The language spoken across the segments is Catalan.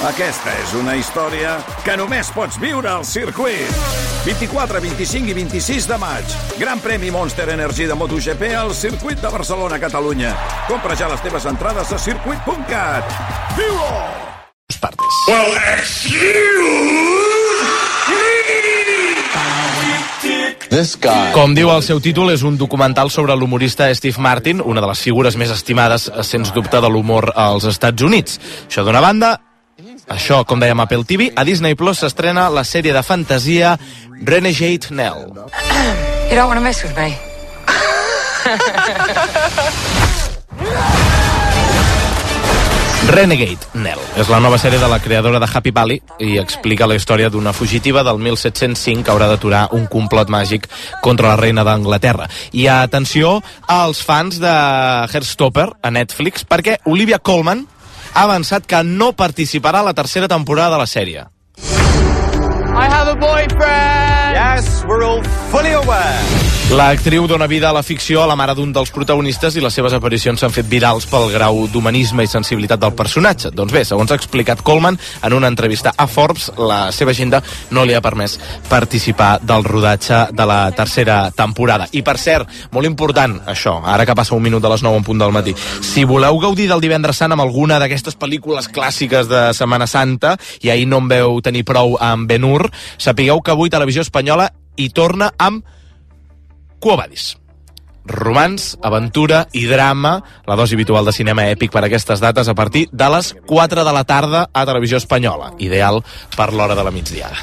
Aquesta és una història que només pots viure al circuit. 24, 25 i 26 de maig. Gran premi Monster Energy de MotoGP al circuit de Barcelona, Catalunya. Compra ja les teves entrades a circuit.cat. Viu-ho! Well, Com diu el seu títol, és un documental sobre l'humorista Steve Martin, una de les figures més estimades, sens dubte, de l'humor als Estats Units. Això d'una banda, això, com dèiem, a Apple TV, a Disney Plus s'estrena la sèrie de fantasia Renegade Nell. You don't want to mess with me. Renegade Nell és la nova sèrie de la creadora de Happy Valley i explica la història d'una fugitiva del 1705 que haurà d'aturar un complot màgic contra la reina d'Anglaterra. I atenció als fans de Heartstopper a Netflix, perquè Olivia Colman ha avançat que no participarà a la tercera temporada de la sèrie. I have a boyfriend! Yes, we're all fully aware. L'actriu dona vida a la ficció a la mare d'un dels protagonistes i les seves aparicions s'han fet virals pel grau d'humanisme i sensibilitat del personatge. Doncs bé, segons ha explicat Colman en una entrevista a Forbes, la seva agenda no li ha permès participar del rodatge de la tercera temporada. I per cert, molt important això, ara que passa un minut de les 9 en punt del matí, si voleu gaudir del Divendres Sant amb alguna d'aquestes pel·lícules clàssiques de Setmana Santa, i ahir no en veu tenir prou amb Ben-Hur, sapigueu que avui Televisió Espanyola hi torna amb Quo Vadis. Romans, aventura i drama, la dosi habitual de cinema èpic per a aquestes dates a partir de les 4 de la tarda a Televisió Espanyola, ideal per l'hora de la migdiada.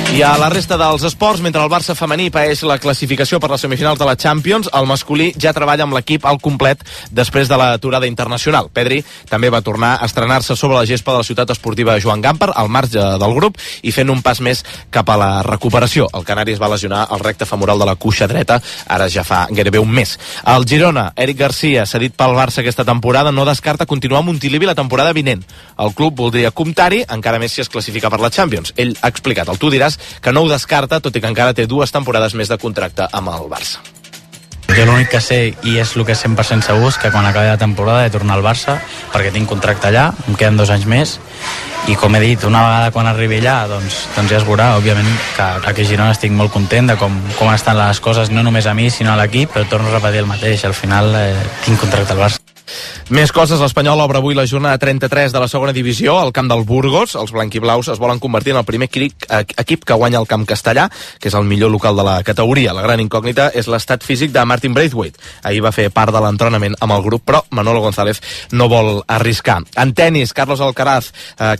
I a la resta dels esports, mentre el Barça femení paeix la classificació per les semifinals de la Champions, el masculí ja treballa amb l'equip al complet després de l'aturada internacional. Pedri també va tornar a estrenar-se sobre la gespa de la ciutat esportiva Joan Gamper, al marge del grup, i fent un pas més cap a la recuperació. El canari es va lesionar el recte femoral de la cuixa dreta, ara ja fa gairebé un mes. El Girona, Eric Garcia, cedit pel Barça aquesta temporada, no descarta continuar a Montilivi la temporada vinent. El club voldria comptar-hi, encara més si es classifica per la Champions. Ell ha explicat, el tu diràs, que no ho descarta, tot i que encara té 2 temporades més de contracte amb el Barça. Jo l'únic que sé, i és el que és 100% segur, és que quan acabi la temporada he de tornar al Barça, perquè tinc contracte allà, em queden 2 anys més, i com he dit, una vegada quan arribi allà, doncs ja es veurà. Òbviament que aquí a Girona estic molt content de com estan les coses, no només a mi, sinó a l'equip, però torno a repetir el mateix, al final tinc contracte al Barça. Més coses, l'Espanyol obre avui la jornada 33 de la segona divisió al camp del Burgos. Els blanquiblaus es volen convertir en el primer equip que guanya el camp castellà, que és el millor local de la categoria. La gran incògnita és l'estat físic de Martin Braithwaite. Ahir va fer part de l'entrenament amb el grup, però Manolo González no vol arriscar. En tenis, Carlos Alcaraz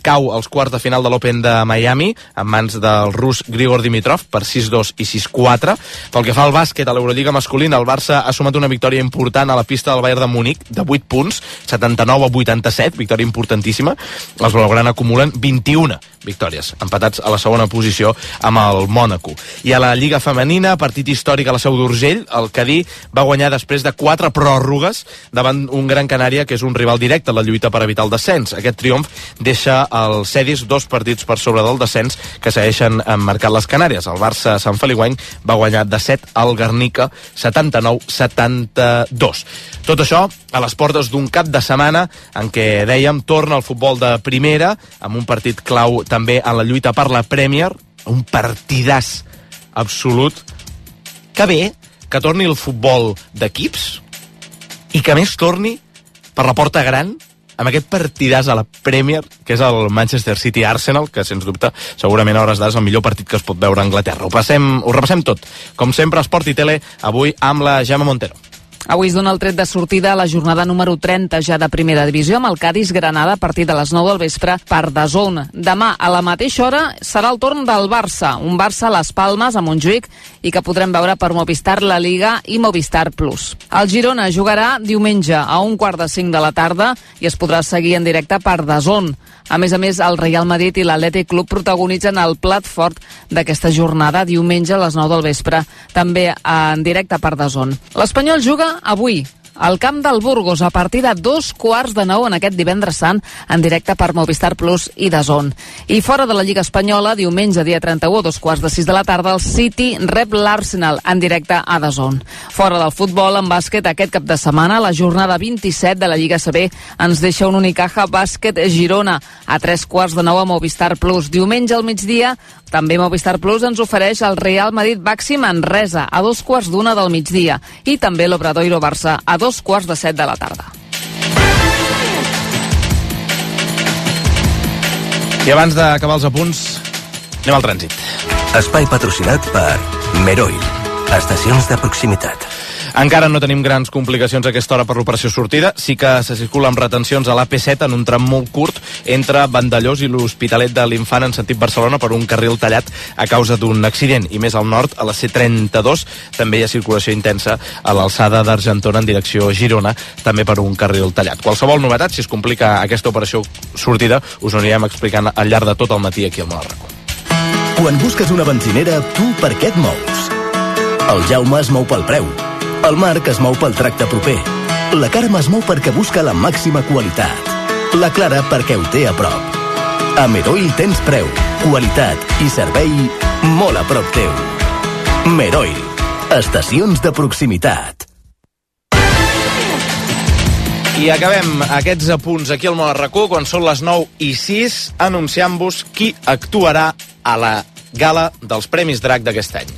cau als quarts de final de l'Open de Miami en mans del rus Grigor Dimitrov per 6-2 i 6-4. Pel que fa al bàsquet, a l'Eurolliga masculina, el Barça ha sumat una victòria important a la pista del Bayern de Múnich de 8 punts, 79-87, victòria importantíssima. Els blaugrana acumulen 21 victòries, empatats a la segona posició amb el Mònaco. I a la Lliga femenina, partit històric a la Seu d'Urgell, el Cadí va guanyar després de 4 pròrrogues davant un Gran Canària que és un rival directe a la lluita per evitar el descens. Aquest triomf deixa els Cedis 2 partits per sobre del descens que segueixen marcant les Canàries. El Barça Sant Feliuenc va guanyar de 7 al Guernica, 79-72. Tot això a les portes d'un cap de setmana en què, dèiem, torna el futbol de primera amb un partit clau també en la lluita per la Premier, un partidàs absolut. Que bé que torni el futbol d'equips i que més torni per la porta gran amb aquest partidàs a la Premier, que és el Manchester City-Arsenal, que sens dubte segurament a hores d'ara és el millor partit que es pot veure a Anglaterra. Ho repassem tot, com sempre, Esport i Tele, avui amb la Gemma Montero. Avui es dona el tret de sortida a la jornada número 30 ja de primera divisió amb el Cádiz-Granada a partir de les 9 del vespre per DAZN. Demà a la mateixa hora serà el torn del Barça, un Barça a les Palmes, a Montjuïc, i que podrem veure per Movistar La Liga i Movistar Plus. El Girona jugarà diumenge a 4:45 de la tarda i es podrà seguir en directe per DAZN. A més, el Real Madrid i l'Atlètic Club protagonitzen el plat fort d'aquesta jornada diumenge a les 9 del vespre, també en directe per DAZN. L'Espanyol juga avui al camp del Burgos a partir de 8:45 en aquest divendres sant en directe per Movistar Plus i DAZN. I fora de la Lliga Espanyola, diumenge dia 31 a 5:45 de la tarda, el City rep l'Arsenal en directe a DAZN. Fora del futbol, en bàsquet, aquest cap de setmana, la jornada 27 de la Lliga CB ens deixa un Unicaja Bàsquet Girona a 8:45 a Movistar Plus. Diumenge al migdia, també Movistar Plus ens ofereix el Real Madrid Baxi Manresa a 2:15 del migdia i també l'Obradoiro Barça a 6:45 de la tarda. I abans d'acabar els apunts, anem al trànsit. Espai patrocinat per Meroil. Estacions de proximitat. Encara no tenim grans complicacions a aquesta hora per l'operació sortida. Sí que se circula amb retencions a l'AP7 en un tram molt curt entre Vandellós i l'Hospitalet de l'Infant en sentit Barcelona per un carril tallat a causa d'un accident. I més al nord, a la C32, també hi ha circulació intensa a l'alçada d'Argentona en direcció Girona, també per un carril tallat. Qualsevol novetat, si es complica aquesta operació sortida, us ho anirem explicant al llarg de tot el matí aquí al Món al Racó. Quan busques una benzinera, tu per què et mous? El Jaume es mou pel preu. El Marc es mou pel tracte proper. La Carme es mou perquè busca la màxima qualitat. La Clara perquè ho té a prop. A Meroil tens preu, qualitat i servei molt a prop teu. Meroil. Estacions de proximitat. I acabem aquests apunts aquí al Món al Racó quan són les 9:06 anunciant-vos qui actuarà a la gala dels Premis Drac d'aquest any.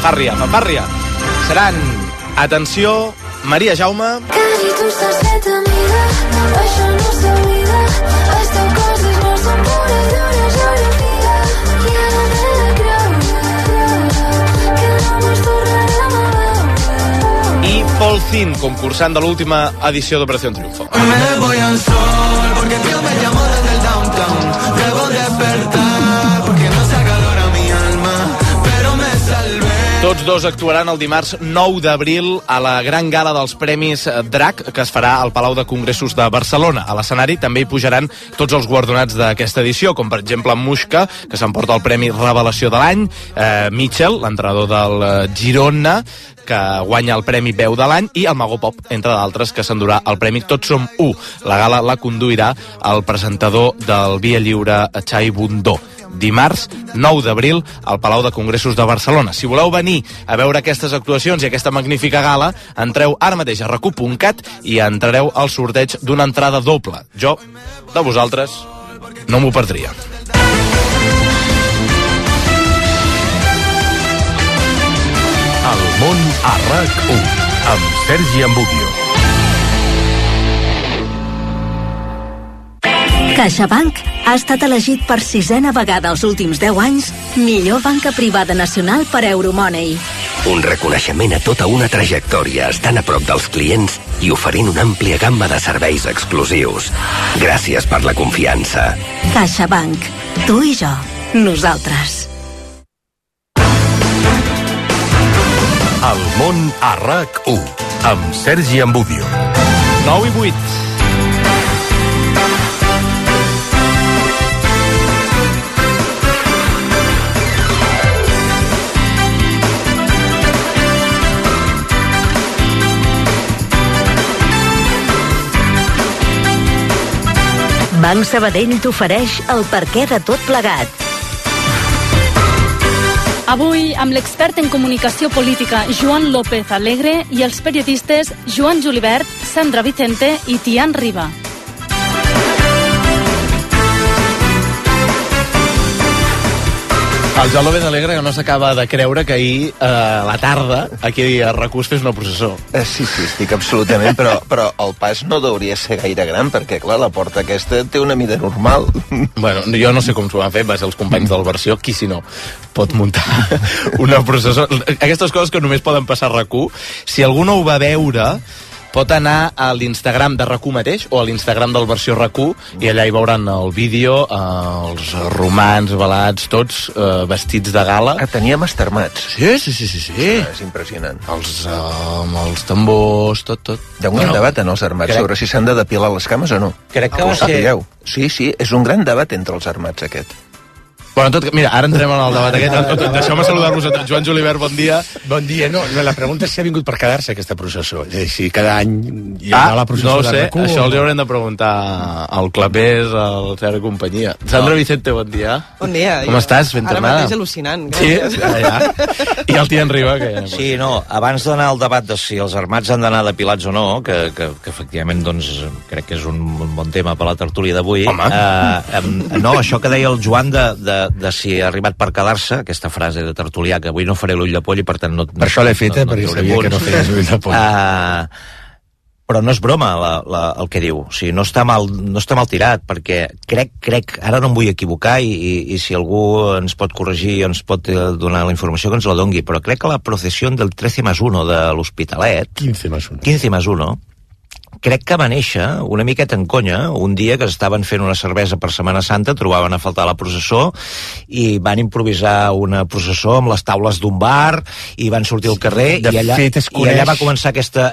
Fanfàrria. Seran, atenció, Maria Jaume, i Paul Zin, concursant de l'última edició d'Operació Triunfo. Me voy al sol porque Dios me llamó desde el downtown. Debo despertar porque no se acalora mi alma, pero me salvé. Tots dos actuaran el dimarts 9 d'abril a la gran gala dels Premis Drac, que es farà al Palau de Congressos de Barcelona. A l'escenari també hi pujaran tots els guardonats d'aquesta edició, com per exemple Muixca, que s'emporta el Premi Revelació de l'any, Mitchell, l'entrenador del Girona, que guanya el Premi Veu de l'any, i el Mago Pop, entre d'altres, que s'endurà el Premi Tots som u. La gala la conduirà el presentador del Via Lliure, Xai Bundó. Dimarts 9 d'abril al Palau de Congressos de Barcelona. Si voleu venir a veure aquestes actuacions i aquesta magnífica gala, entreu ara mateix a racu.cat i entrareu al sorteig d'una entrada doble. Jo, de vosaltres, no m'ho perdria. El món a RAC1 amb Sergi Ambudio. CaixaBank ha estat elegit per 6a vegada els últims 10 anys millor banca privada nacional per Euromoney. Un reconeixement a tota una trajectòria, estant a prop dels clients i oferint una àmplia gamma de serveis exclusius. Gràcies per la confiança. CaixaBank. Tu i jo. Nosaltres. El món a RAC1 amb Sergi Ambudio. 9:08. Banc Sabadell t'ofereix el perquè de tot plegat. Avui, amb l'expert en comunicació política Joan López Alegre i els periodistes Joan Julibert, Sandra Vicente i Tian Riba. El Joan López Alegre que no s'acaba de creure que ahir a la tarda aquí a RAC1 fes una processó. Sí, estic absolutament, però el pas no hauria ser gaire gran, perquè, clar, la porta aquesta té una mida normal. Bueno, jo no sé com s'ho van fer, va ser els companys del Versió, qui si no pot muntar una processó. Aquestes coses que només poden passar a RAC1, si algú no ho va veure, pot anar a l'Instagram de RAC1 mateix o a l'Instagram del versió RAC1 i allà hi veuran el vídeo, els romans, velats, tots vestits de gala. Tenia mastermats. Sí. És impressionant. Els tambors, tot. Hi ha un gran debat en els armats sobre si s'han de depilar les cames o no. Crec que va ser... Sí, és un gran debat entre els armats aquest. Bueno, mira, ara entrem en el debat aquest. Deixeu-me saludar-vos a tots. Joan Julivert, bon dia. Bon dia. No, la pregunta és si ha vingut per quedar-se aquesta processó. Si cada any hi ha la processó no ho sé, de RAC1. Això els haurem de preguntar al Clapés, al Ferrer i companyia. Sandra Vicente, bon dia. Bon dia. Com estàs? Ben tornada? Ara mateix al·lucinant. Gràcies. Sí, ja. I el Tian Riba, que... Sí, no, abans d'anar al debat de si els armats han d'anar depilats o no, que efectivament, doncs, crec que és un bon tema per la tertúlia d'avui. No, això que deia el Joan de si ha arribat per quedar-se, aquesta frase de tertulià, que avui no faré l'ull de poll i per tant no... Per això l'he feta, perquè sabia que no feies l'ull de poll. Però no és broma el que diu, o sigui, no està mal tirat, perquè crec, ara no em vull equivocar i si algú ens pot corregir o ens pot donar la informació que ens la dongui, però crec que la processió del 13+1 de l'Hospitalet, 15+1, crec que va néixer una miqueta en conya un dia que estaven fent una cervesa per Setmana Santa, trobaven a faltar la processó i van improvisar una processó amb les taules d'un bar i van sortir al carrer i allà va començar aquesta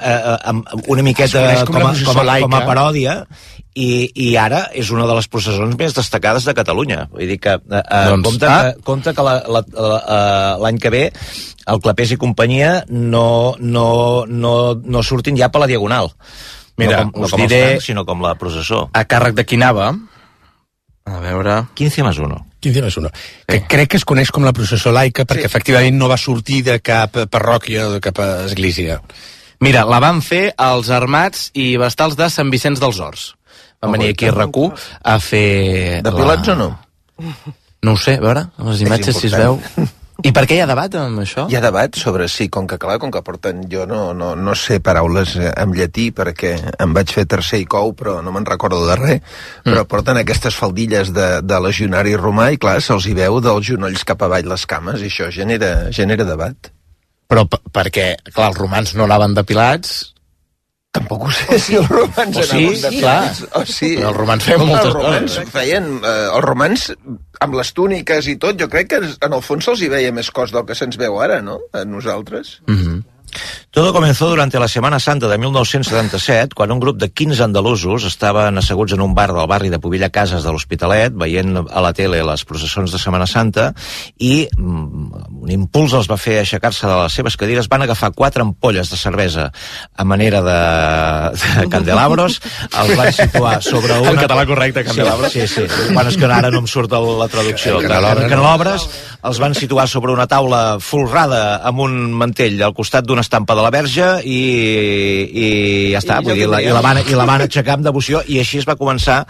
una miqueta com a paròdia i ara és una de les processons més destacades de Catalunya. Vull dir que compte que l'any que ve el Clapés i companyia no surtin ja per la Diagonal. Mira, no com els tancs, sinó com la processó. A càrrec de qui anava? A veure... 15+1. 15+1. Que crec que es coneix com la processó laica perquè efectivament no va sortir de cap parròquia o de cap església. Mira, la van fer els armats i vestals de Sant Vicenç dels Horts. Van venir aquí a RAC1 a fer... Depilats o no? No ho sé, a veure, les imatges si es veu... I per què hi ha debat amb això? Hi ha debat sobre sí, com que porten... Jo no sé paraules en llatí perquè em vaig fer tercer i cou, però no me'n recordo de res, però porten aquestes faldilles de legionari romà i clar, se'ls hi veu dels genolls cap avall les cames i això genera debat. Però perquè, clar, els romans no anaven depilats... Tampoc ho sé si els romans anaven depilats. Els romans feien moltes coses. Els romans, amb les túniques i tot, jo crec que en el fons se'ls hi veia més cos del que se'ns veu ara, no? A nosaltres. Todo comenzó durante la Semana Santa de 1977, quan un grup de 15 andalusos estaven asseguts en un bar del barri de Pobilla Cases de l'Hospitalet, veient a la tele les processons de Setmana Santa, i un impuls els va fer aixecar-se de les seves cadires, van agafar 4 ampolles de cervesa a manera de candelabros, els van situar sobre una... En català correcte, candelabros. Sí. Quan és que ara no em surt la traducció. Candelabres, els van situar sobre una taula folrada amb un mantell al costat d'una estampa de la Verge i ja està, vull dir, i la van aixecar amb devoció i així es va començar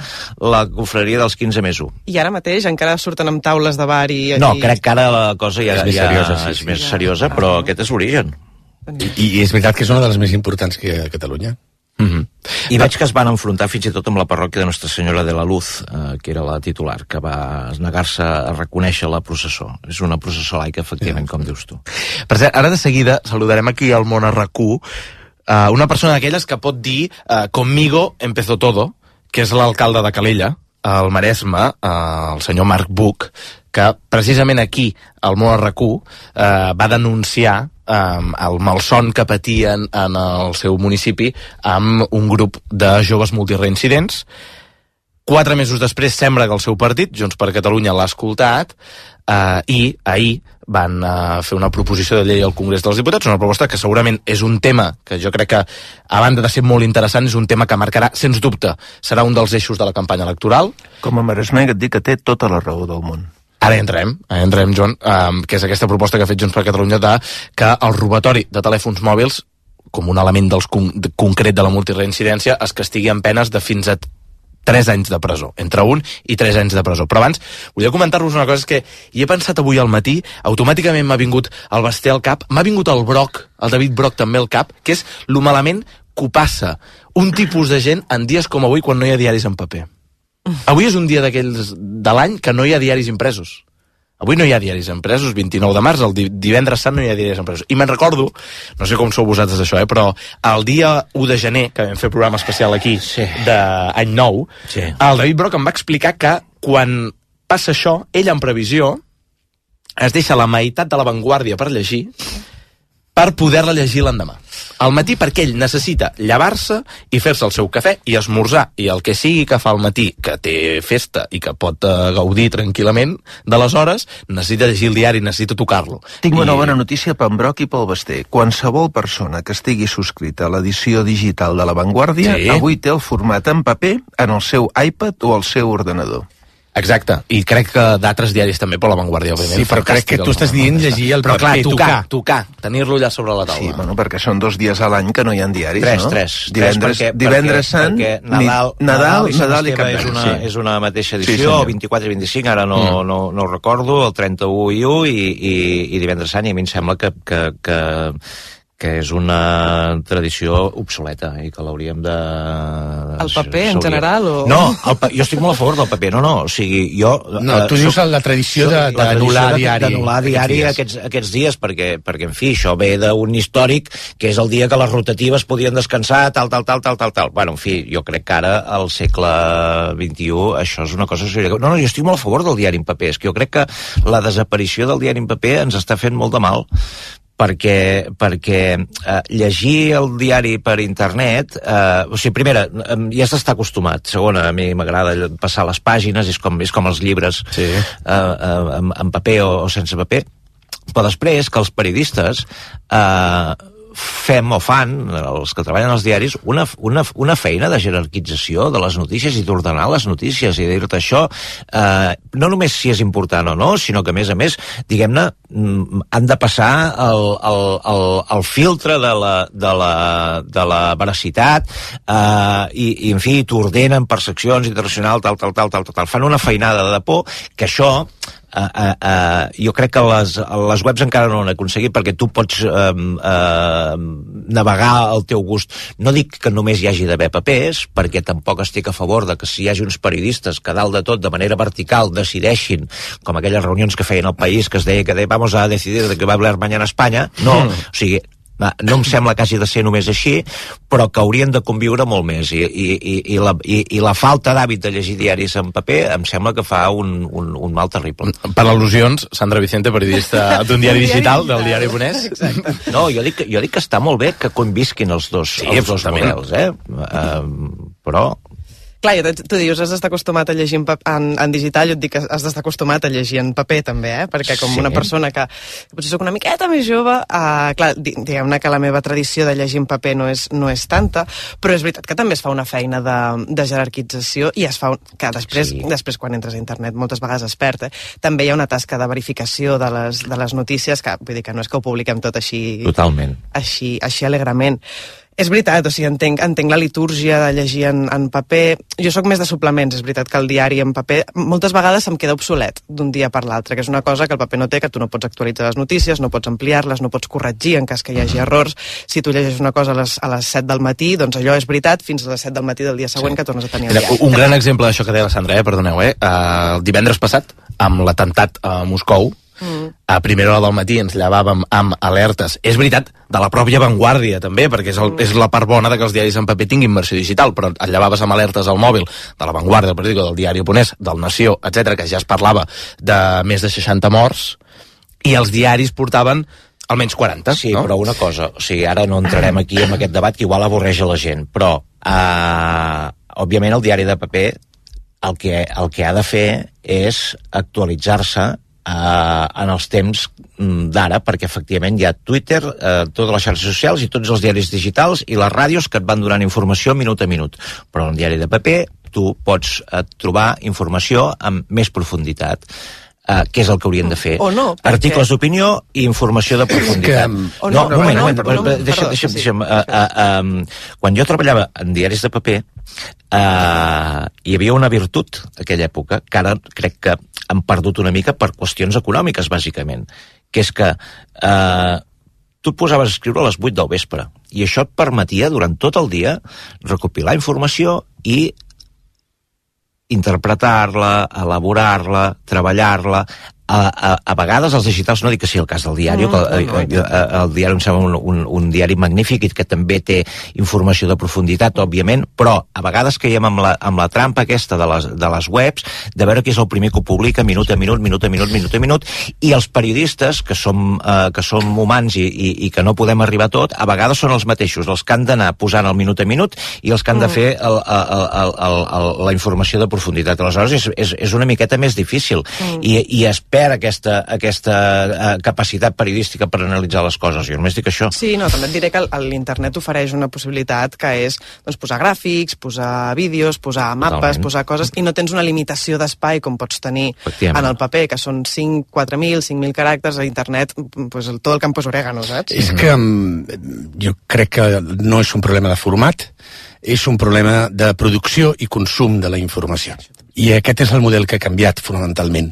la confraria dels 15+1. I ara mateix encara surten amb taules de bar i... No, crec que ara la cosa ja és més seriosa, però aquest és l'origen. I és veritat que és una de les més importants que hi ha a Catalunya. I veig que es van enfrontar fins i tot amb la parròquia de Nostra Senyora de la Luz, que era la titular, que va negar-se a reconèixer la processó. És una processó laica, efectivament, com dius tu. Per cert, ara de seguida saludarem aquí al món a RAC1 una persona d'aquelles que pot dir conmigo empezó todo, que és l'alcalde de Calella, al Maresme, el senyor Marc Buch, que precisament aquí, al món a RAC1, va denunciar el malson que patien en el seu municipi amb un grup de joves multireincidents. 4 mesos després sembla que el seu partit, Junts per Catalunya, l'ha escoltat i ahir van fer una proposició de llei al Congrés dels Diputats, una proposta que segurament és un tema que jo crec que, a banda de ser molt interessant, és un tema que marcarà, sens dubte, serà un dels eixos de la campanya electoral. Com a maresmenc et dic que té tota la raó del món. Ara entrem, Joan, que és aquesta proposta que ha fet Junts per Catalunya de que el robatori de telèfons mòbils, com un element concret de la multireincidència, es castigui amb penes de fins a 3 anys de presó, entre 1 i 3 anys de presó. Però abans, volia comentar-vos una cosa, és que hi he pensat avui al matí, automàticament m'ha vingut el Basté al cap, m'ha vingut el Broc, el David Broc també al cap, que és lo malament que ho passa un tipus de gent en dies com avui quan no hi ha diaris en paper. Avui és un dia d'aquells de l'any que no hi ha diaris impresos. avui no hi ha diaris impresos, 29 de març, el divendres sant no hi ha diaris impresos. I me'n recordo, no sé com sou vosaltres d'això, però el dia 1 de gener, que vam fer programa especial aquí, d'any nou, el David Broc em va explicar que quan passa això, ell en previsió es deixa la meitat de La Vanguardia per llegir, per poder-la llegir l'endemà. Al matí, perquè ell necessita llevar-se i fer-se el seu cafè i esmorzar, i el que sigui que fa al matí, que té festa i que pot gaudir tranquil·lament de les hores, necessita llegir el diari, necessita tocar-lo. Tinc una bona notícia pel Broc i pel Basté. Qualsevol persona que estigui subscrita a l'edició digital de La Vanguardia avui té el format en paper en el seu iPad o el seu ordenador. Exacte, i crec que d'altres diaris també, per La Vanguardia, òbviament. Sí, però crec que tu estàs dient llegir el paper, però clar, tocar, tenir-lo allà sobre la taula. Sí, bueno, perquè són 2 dies a l'any que no hi ha diaris, no? Tres. Divendres Sant, Nadal i Cap d'Any. És una mateixa edició, el 24 i 25, ara no ho recordo, el 31 i 1 i divendres Sant, i a mi em sembla que és una tradició obsoleta i que l'hauríem de... El paper, en general? O... No, jo estic molt a favor del paper, o sigui, jo... No, tu dius la tradició d'anul·lar diari. D'anul·lar diari aquests dies, perquè, en fi, això ve d'un històric, que és el dia que les rotatives podien descansar, tal. Bueno, en fi, jo crec que ara, al segle XXI, això és una cosa... No, jo estic molt a favor del diari en paper, és que jo crec que la desaparició del diari en paper ens està fent molt de mal, perquè llegir el diari per internet, o sigui, primera, ja s'està acostumat, segona, a mi m'agrada passar les pàgines, és com els llibres en paper o sense paper, però després que els periodistes fan, els que treballen als diaris, una feina de jerarquització de les notícies i d'ordenar les notícies i dir-te això, no només si és important o no, sinó que a més, diguem-ne, han de passar el filtre de la veracitat i en fi, t'ordenen per seccions internacionals, tal. Fan una feinada de por que això jo crec que les webs encara no ho han aconseguit, perquè tu pots navegar al teu gust. No dic que només hi hagi d'haver papers, perquè tampoc estic a favor de que si hi hagi uns periodistes que dalt de tot, de manera vertical, decideixin, com aquelles reunions que feien al País, que es deia que vamos a decidir de que va a hablar mañana España. No, o sigui, no em sembla que hagi de ser només així, però que haurien de conviure molt més, i la falta d'hàbit de llegir diaris en paper em sembla que fa un mal terrible. Per al·lusions, Sandra Vicente, periodista d'un diari digital, del diari Bonès. No, jo dic que està molt bé que convisquin els dos models, però... Clar, tu dius, has d'estar acostumat a llegir en digital, jo et dic que has d'estar acostumat a llegir en paper, també, perquè com una persona que potser soc una miqueta més jove, clar, diguem-ne que la meva tradició de llegir en paper no és tanta, però és veritat que també es fa una feina de jerarquització i es fa, que després quan entres a internet moltes vegades es perd, també hi ha una tasca de verificació de les notícies, que vull dir que no és que ho publiquem tot així... Totalment. Així alegrement. És veritat, o sigui, entenc la litúrgia de llegir en paper. Jo sóc més de suplements, és veritat que el diari en paper moltes vegades em queda obsolet d'un dia per l'altre, que és una cosa que el paper no té, que tu no pots actualitzar les notícies, no pots ampliar-les, no pots corregir en cas que hi hagi errors. Si tu llegeixes una cosa a les 7 del matí, doncs allò és veritat fins a les 7 del matí del dia següent que tornes a tenir el diari. Un gran exemple d'això que deia la Sandra, perdoneu, el divendres passat, amb l'atemptat a Moscou, a primera hora del matí ens llevàvem amb alertes, és veritat, de la pròpia Vanguardia també, perquè és la part bona de que els diaris en paper tinguin versió digital, però et llevaves amb alertes al mòbil de la Vanguardia, del periòdico, del diari Ponès, del Nació, etc, que ja es parlava de més de 60 morts, i els diaris portaven almenys 40. Sí, no? Però una cosa, o sigui, ara no entrarem aquí en aquest debat que igual avorreix a la gent, però òbviament el diari de paper el que ha de fer és actualitzar-se en els temps d'ara, perquè efectivament hi ha Twitter, totes les xarxes socials i tots els diaris digitals i les ràdios que et van donant informació minut a minut, però en un diari de paper tu pots trobar informació amb més profunditat, que és el que haurien de fer. O no, articles d'opinió i informació de profunditat. Deixa'm. Quan jo treballava en diaris de paper, hi havia una virtut d'aquella època, que ara crec que han perdut una mica per qüestions econòmiques, bàsicament, que és que tu et posaves a escriure a les 8 del vespre, i això et permetia, durant tot el dia, recopilar informació i interpretar-la, elaborar-la, treballar-la, a vegades els digitals, no dic que sigui el cas del diari, el diari em sembla un diari magnífic i que també té informació de profunditat, òbviament, però a vegades caiem amb la trampa aquesta de les webs, de veure qui és el primer que ho publica minut a minut, i els periodistes, que som humans i que no podem arribar a tot, a vegades són els mateixos, els que han d'anar posant el minut a minut i els que han de fer la informació de profunditat. Aleshores és una miqueta més difícil i es perd aquesta capacitat periodística per analitzar les coses. Jo només dic això. Sí, no, també et diré que l'internet ofereix una possibilitat que és posar gràfics, posar vídeos, posar mapes, posar coses, i no tens una limitació d'espai com pots tenir en el paper, que són 4.000, 5.000 caràcters. A internet, tot el campo és orégano, saps? És que jo crec que no és un problema de format, és un problema de producció i consum de la informació. I aquest és el model que ha canviat fonamentalment.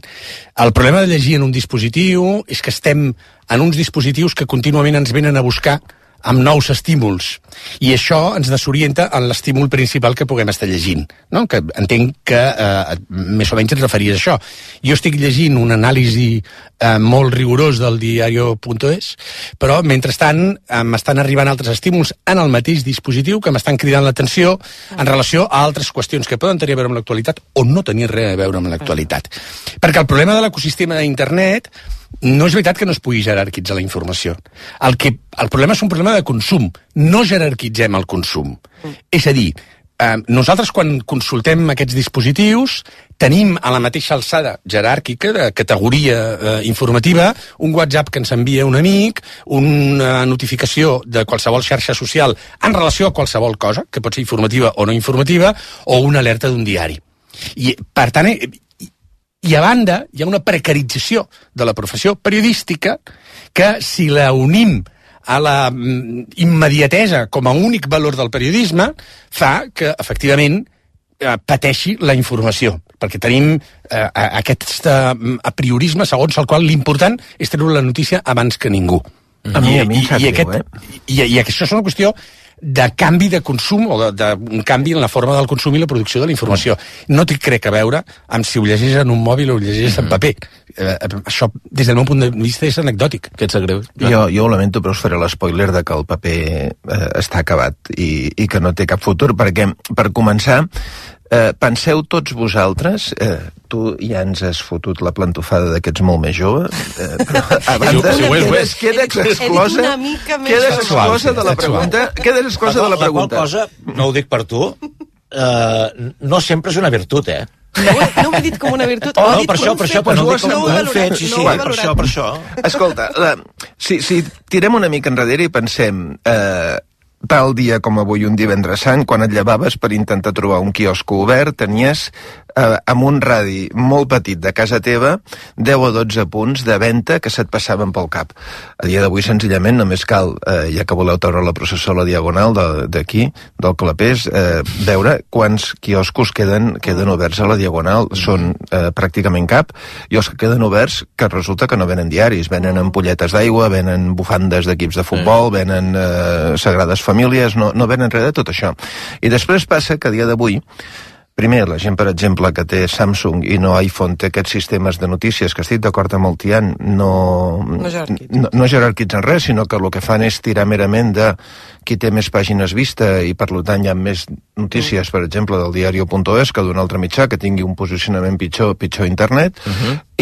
El problema de llegir en un dispositiu és que estem en uns dispositius que contínuament ens venen a buscar amb nous estímuls, i això ens desorienta en l'estímul principal que puguem estar llegint, no? Que entenc que més o menys et referies a això. Jo estic llegint un anàlisi molt rigorós del diario.es, però mentrestant m'estan arribant altres estímuls en el mateix dispositiu que m'estan cridant l'atenció en relació a altres qüestions que poden tenir a veure amb l'actualitat o no tenir res a veure amb l'actualitat. Perquè el problema de l'ecosistema d'internet no és veritat que no es pugui jerarquitzar la informació. El problema és un problema de consum. No jerarquitzem el consum. És a dir, nosaltres quan consultem aquests dispositius tenim a la mateixa alçada jeràrquica de categoria informativa un WhatsApp que ens envia un amic, una notificació de qualsevol xarxa social en relació a qualsevol cosa, que pot ser informativa o no informativa, o una alerta d'un diari. I, per tant, i a banda, hi ha una precarització de la professió periodística que, si la unim a la immediatesa com a únic valor del periodisme, fa que, efectivament, pateixi la informació, perquè tenim aquest apriorisme segons el qual l'important és treure la notícia abans que ningú. I això és una qüestió de canvi de consum o d'un canvi en la forma del consum i la producció de la informació. No té crec a veure amb si ho llegeix en un mòbil o ho llegeix en paper. Això, des del meu punt de vista, és anecdòtic. Que et sap greu? Jo ho lamento, però us faré l'espoiler de que el paper està acabat i que no té cap futur, perquè, per començar, penseu tots vosaltres, tu ja ens has fotut la plantofada de que ets molt més jove, a banda, quedes exclosa de la pregunta. Quedes exclosa de la pregunta. La qual cosa, no ho dic per tu, no sempre és una virtut, No ho he dit com una virtut. No, per això, però no ho dic com un fet, sí, per això. Escolta, si tirem una mica enrere i pensem... Tal dia com avui, un divendres sant, quan et llevaves per intentar trobar un quiosco obert, tenies amb un radi molt petit de casa teva 10 o 12 punts de venda que se't passaven pel cap. A dia d'avui, senzillament, només cal, ja que voleu treure la processó a la diagonal d'aquí, del Clapés, veure quants quioscos queden oberts a la diagonal. Són pràcticament cap, i els que queden oberts, que resulta que no venen diaris, venen ampolletes d'aigua, venen bufandes d'equips de futbol, venen sagrades famílies, no venen res de tot això. I després passa que a dia d'avui, primer, la gent, per exemple, que té Samsung i no iPhone, té aquests sistemes de notícies, que estic d'acord amb el Tian, no jerarquitzen res, sinó que el que fan és tirar merament de qui té més pàgines vista, i per tant hi ha més notícies, per exemple, del diario.es que d'un altre mitjà que tingui un posicionament pitjor a internet.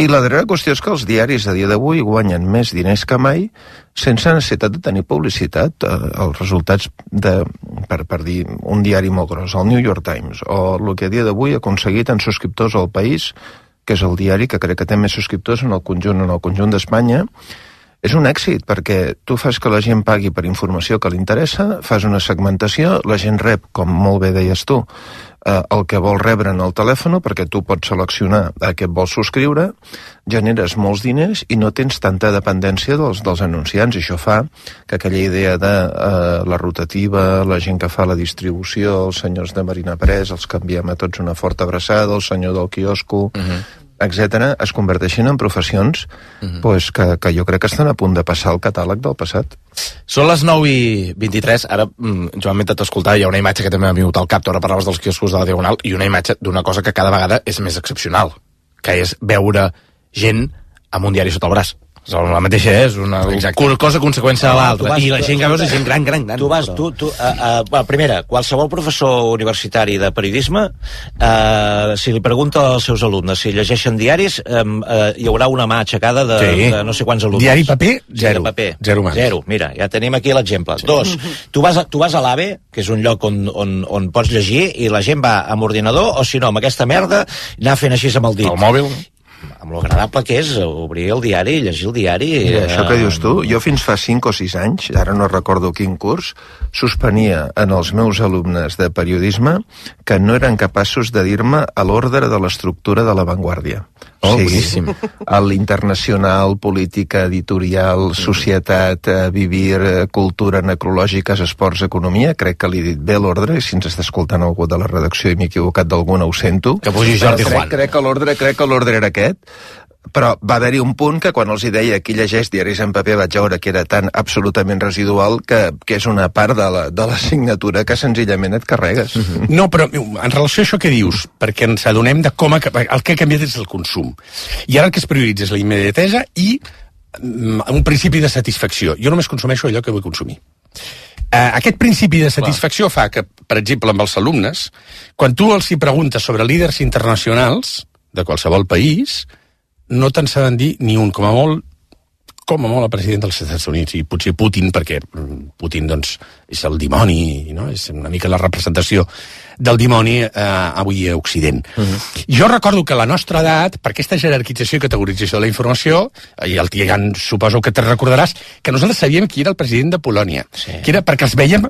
I la darrera qüestió és que els diaris a dia d'avui guanyen més diners que mai sense necessitat de tenir publicitat. Els resultats per dir un diari molt gros, el New York Times, o el que a dia d'avui ha aconseguit en subscriptors al País, que és el diari que crec que té més subscriptors en el conjunt d'Espanya, és un èxit, perquè tu fas que la gent pagui per informació que li interessa, fas una segmentació, la gent rep, com molt bé deies tu, el que vol rebre en el telèfon, perquè tu pots seleccionar a què et vols subscriure, generes molts diners i no tens tanta dependència dels anunciants, i això fa que aquella idea de la rotativa, la gent que fa la distribució, els senyors de Marina Pres, els que enviem a tots una forta abraçada, el senyor del quiosco, etc., es converteixen en professions que jo crec que estan a punt de passar al catàleg del passat. Són les 9:23, ara, Joan, mentre t'escoltava, hi ha una imatge que també m'ha vingut al cap, tu ara parlaves dels quioscos de la Diagonal, i una imatge d'una cosa que cada vegada és més excepcional, que és veure gent amb un diari sota el braç. La mateixa és una cosa conseqüència de l'altra. I la gent que veus és gent gran. Primera, qualsevol professor universitari de periodisme, si li pregunta als seus alumnes si llegeixen diaris, hi haurà una mà aixecada de no sé quants alumnes. Diari paper, zero. Zero. Mira, ja tenim aquí l'exemple. Dos, tu vas a l'AVE, que és un lloc on pots llegir, i la gent va amb ordinador, o si no, amb aquesta merda, anar fent així amb el dit. El mòbil. Amb lo agradable que és obrir el diari i llegir el diari. Això que dius tu, jo fins fa 5 o 6 anys, ara no recordo quin curs, suspenia en els meus alumnes de periodisme que no eren capaços de dir-me a l'ordre de l'estructura de La Vanguardia. Boníssim. L'internacional, política, editorial, societat, vivir, cultura, necrològiques, esports, economia, crec que li he dit bé l'ordre, i si ens està escoltant algú de la redacció i m'he equivocat d'alguna, ho sento. Que pugi Jordi Juan. Crec que l'ordre era aquest, però va haver-hi un punt que quan els hi deia qui llegeix diaris en paper vaig veure que era tan absolutament residual que és una part de la signatura que senzillament et carregues. No, però en relació a això que dius, perquè ens adonem de com el que ha canviat és el consum. I ara el que es prioritza és la immediatesa i un principi de satisfacció. Jo només consumeixo allò que vull consumir. Aquest principi de satisfacció fa que, per exemple, amb els alumnes, quan tu els hi preguntes sobre líders internacionals de qualsevol país, no te'n saben dir ni un, com a molt el president dels Estats Units, i potser Putin, perquè Putin, doncs, és el dimoni, no? És una mica la representació del dimoni avui a Occident. Jo recordo que a la nostra edat, per aquesta jerarquització i categorització de la informació, i el Tian, suposo que te recordaràs, que nosaltres sabíem qui era el president de Polònia, que era perquè els veiem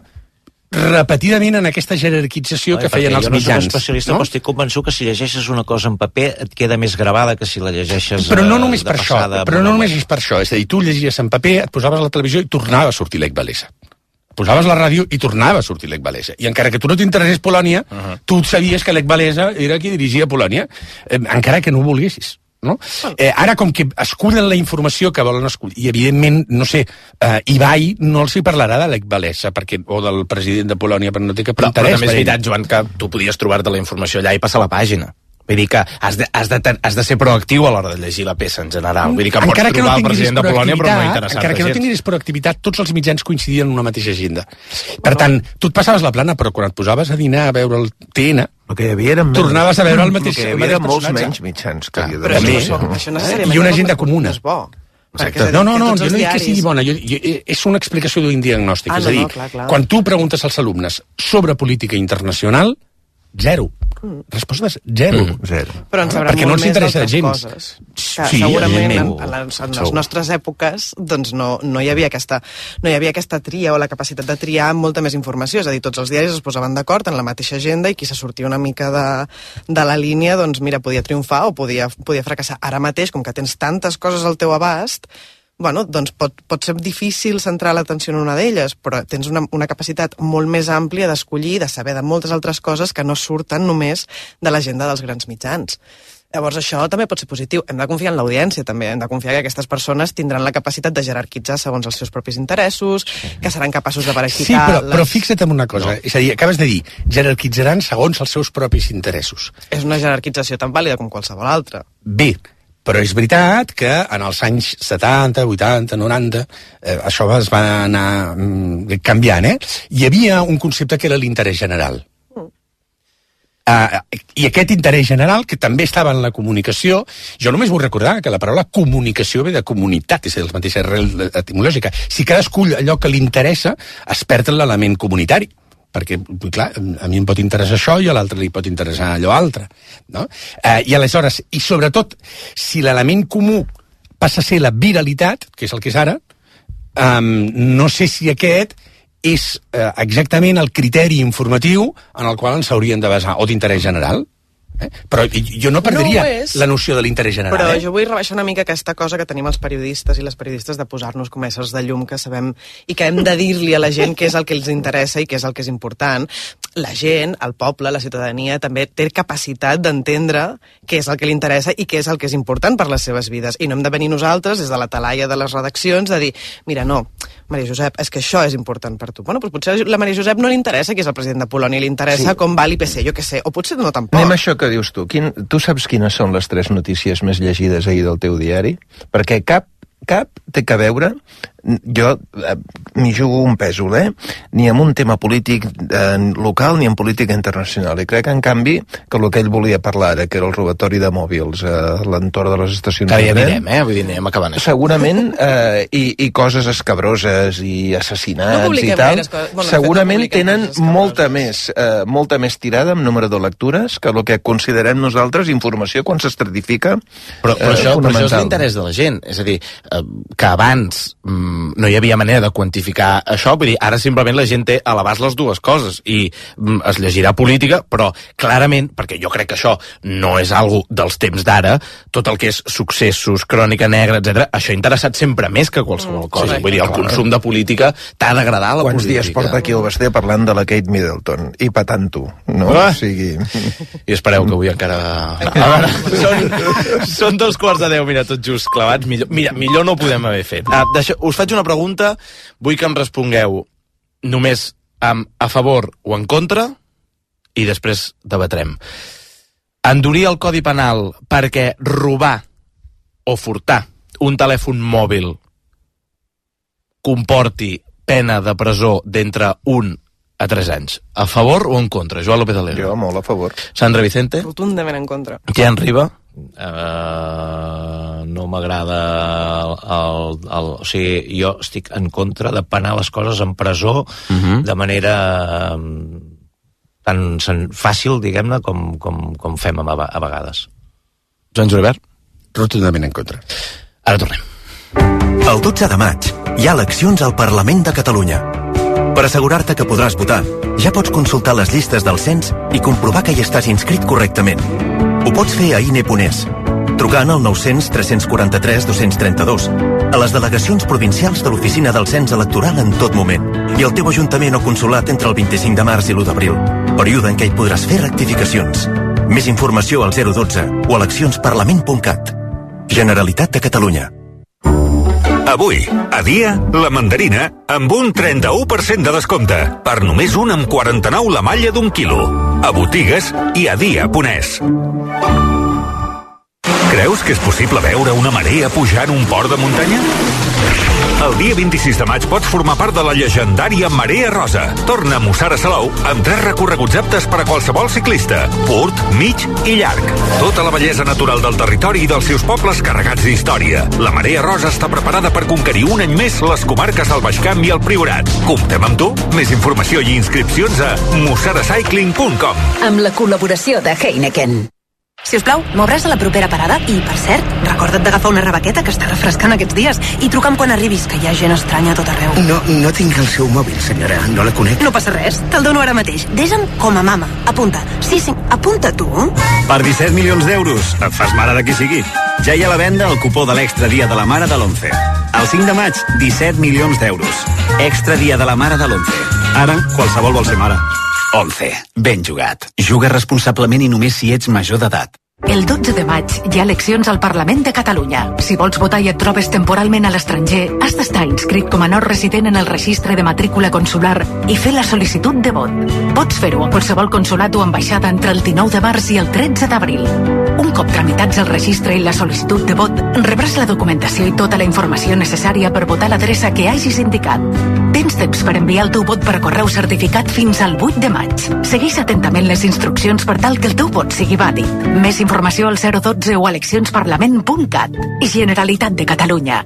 repetidament en aquesta jerarquització que feien els mitjans. Jo no soc especialista, però estic convençut que si llegeixes una cosa en paper et queda més gravada que si la llegeixes però no només per això, però no només és per això. És a dir, tu llegies en paper, et posaves a la televisió i tornava a sortir Lech Walesa. Posaves la ràdio i tornava a sortir Lech Walesa. I encara que tu no t'interessés Polònia, tu sabies que Lech Walesa era qui dirigia Polònia, encara que no ho volguessis. No? Ara, com que escullen la informació que volen escollir, i evidentment, no sé, Ibai no els hi parlarà de Lech Walesa o del president de Polònia, perquè no té cap interès. Però també és veritat, Joan, que tu podies trobar-te la informació allà i passar la pàgina. Vull dir que has de ser proactiu a l'hora de llegir la peça en general. Vull dir que pots trobar el president de Polònia, però no interessar-te. Encara que no tinguis proactivitat, tots els mitjans coincidien en una mateixa agenda. Per tant, tu et passaves la plana, però quan et posaves a dinar a veure el TN, tornaves a veure el mateix personatge. Hi havia molts menys mitjans que havia de ser. I una agenda comuna. No, jo no dic que sigui bona, és una explicació d'un diagnòstic. És a dir, quan tu preguntes als alumnes sobre política internacional, zero. Respostes zero. Però ens sabrà molt més d'altres coses. Que segurament en les nostres èpoques doncs no hi havia aquesta tria o la capacitat de triar amb molta més informació. És a dir, tots els diaris es posaven d'acord en la mateixa agenda i qui se sortia una mica de la línia, doncs mira, podia triomfar o podia fracassar. Ara mateix, com que tens tantes coses al teu abast, bueno, doncs pot ser difícil centrar l'atenció en una d'elles, però tens una capacitat molt més àmplia d'escollir, de saber de moltes altres coses que no surten només de l'agenda dels grans mitjans. Llavors això també pot ser positiu. Hem de confiar en l'audiència també, hem de confiar que aquestes persones tindran la capacitat de jerarquitzar segons els seus propis interessos, que seran capaços de parasitar... Sí, però fixa't en una cosa, és a dir, acabes de dir, jerarquitzaran segons els seus propis interessos. És una jerarquització tan vàlida com qualsevol altra. Bé, però és veritat que en els anys 70, 80, 90, això es va anar canviant, Hi havia un concepte que era l'interès general. I aquest interès general, que també estava en la comunicació, jo només vull recordar que la paraula comunicació ve de comunitat, és la mateixa arrel etimològica. Si cadascú allò que li interessa es perd l'element comunitari, perquè, clar, a mi em pot interessar això i a l'altre li pot interessar allò altre, no? I aleshores, i sobretot, si l'element comú passa a ser la viralitat, que és el que és ara, no sé si aquest és exactament el criteri informatiu en el qual ens hauríem de basar, o d'interès general. Però jo no perdria la noció de l'interès general. Però jo vull rebaixar una mica aquesta cosa que tenim els periodistes i les periodistes de posar-nos com éssers de llum que sabem i que hem de dir-li a la gent què és el que els interessa i què és el que és important. La gent, el poble, la ciutadania també té capacitat d'entendre què és el que li interessa i què és el que és important per les seves vides. I no hem de venir nosaltres des de la talaia de les redaccions de dir, mira, no, Maria Josep, és que això és important per tu. Bueno, doncs potser a la Maria Josep no li interessa qui és el president de Polònia, li interessa com va l'IPC, jo què sé, o potser no tampoc. Anem a això que dius tu. Tu saps quines són les 3 notícies més llegides ahir del teu diari? Perquè cap té que veure, jo m'hi jugo un pèsol, ni amb un tema polític local ni en política internacional, i crec que en canvi que el que ell volia parlar ara, que era el robatori de mòbils a l'entorn de les estacions de tren, que ja direm, vull dir, anem acabant segurament, i coses escabroses i assassinats i tal, segurament tenen molta més tirada en número de lectures que el que considerem nosaltres informació quan s'estratifica però això és l'interès de la gent, és a dir, que abans no hi havia manera de quantificar això, vull dir, ara simplement la gent té a l'abast les dues coses i es llegirà política, però clarament, perquè jo crec que això no és algo dels temps d'ara, tot el que és successos, crònica negra, etc. això ha interessat sempre més que qualsevol cosa. Vull dir, el consum de política t'ha d'agradar la política. Quants dies porta aquí el Basté parlant de la Kate Middleton i patant-ho, no? O sigui... I espereu que avui encara... Són 2:15, tot just clavats. Millor no ho podem haver fet. Us faig una pregunta, vull que em respongueu només a favor o en contra i després debatrem. Endurir el Codi Penal perquè robar o furtar un telèfon mòbil comporti pena de presó d'entre 1 a 3 anys. A favor o en contra? Joan López Alegre. Jo molt a favor. Sandra Vicente. Rotundament en contra. Tian Riba. No m'agrada o sigui, jo estic en contra de penar les coses en presó de manera tan fàcil, diguem-ne, com fem a vegades. Joan Julivert. Rotundament en contra. Ara tornem. El 12 de maig hi ha eleccions al Parlament de Catalunya. Per assegurar-te que podràs votar, ja pots consultar les llistes del cens i comprovar que hi estàs inscrit correctament. Ho pots fer a INE.es, trucant al 900 343 232, a les delegacions provincials de l'Oficina del Cens Electoral en tot moment, i al teu ajuntament o consulat entre el 25 de març i l'1 d'abril, període en què hi podràs fer rectificacions. Més informació al 012 o eleccionsparlament.cat. Generalitat de Catalunya. Avui, a Dia, la mandarina amb un 31% de descompte. Per només 1,49 la malla d'1 quilo. A botigues i a dia.es. Creus que és possible veure una marea pujar en un port de muntanya? El dia 26 de maig pots formar part de la llegendària Marea Rosa. Torna a Mussara Salou amb 3 recorreguts aptes per a qualsevol ciclista. Curt, mig i llarg. Tota la bellesa natural del territori i dels seus pobles carregats d'història. La Marea Rosa està preparada per conquerir un any més les comarques del Baix Camp i el Priorat. Comptem amb tu? Més informació i inscripcions a mussaracycling.com. Amb la col·laboració de Heineken. Si us plau, m'obràs a la propera parada i, per cert, recorda't d'agafar una rebequeta que està refrescant aquests dies i truca'm quan arribis, que hi ha gent estranya a tot arreu. No tinc el seu mòbil, senyora, no la conec. No passa res, te'l dono ara mateix. Desa'm com a mama. Apunta. Sí, apunta tu. Per 17 milions d'euros, et fas mare de qui sigui. Ja hi ha a la venda el cupó de l'Extra Dia de la Mare de l'11. El 5 de maig, 17 milions d'euros. Extra Dia de la Mare de l'11. Ara, qualsevol vol ser mare. 11. Ben jugat. Juga responsablement i només si ets major d'edat. El 12 de maig hi ha eleccions al Parlament de Catalunya. Si vols votar i et trobes temporalment a l'estranger, has d'estar inscrit com a no resident en el registre de matrícula consular i fer la sol·licitud de vot. Pots fer-ho a qualsevol consulat o ambaixada entre el 19 de març i el 13 d'abril. Un cop tramitats el registre i la sol·licitud de vot, rebràs la documentació i tota la informació necessària per votar l'adreça que hagis indicat. Tens temps per enviar el teu vot per correu certificat fins al 8 de maig. Segueix atentament les instruccions per tal que el teu vot sigui vàlid. Més informació al 012 o eleccionsparlament.cat. Generalitat de Catalunya.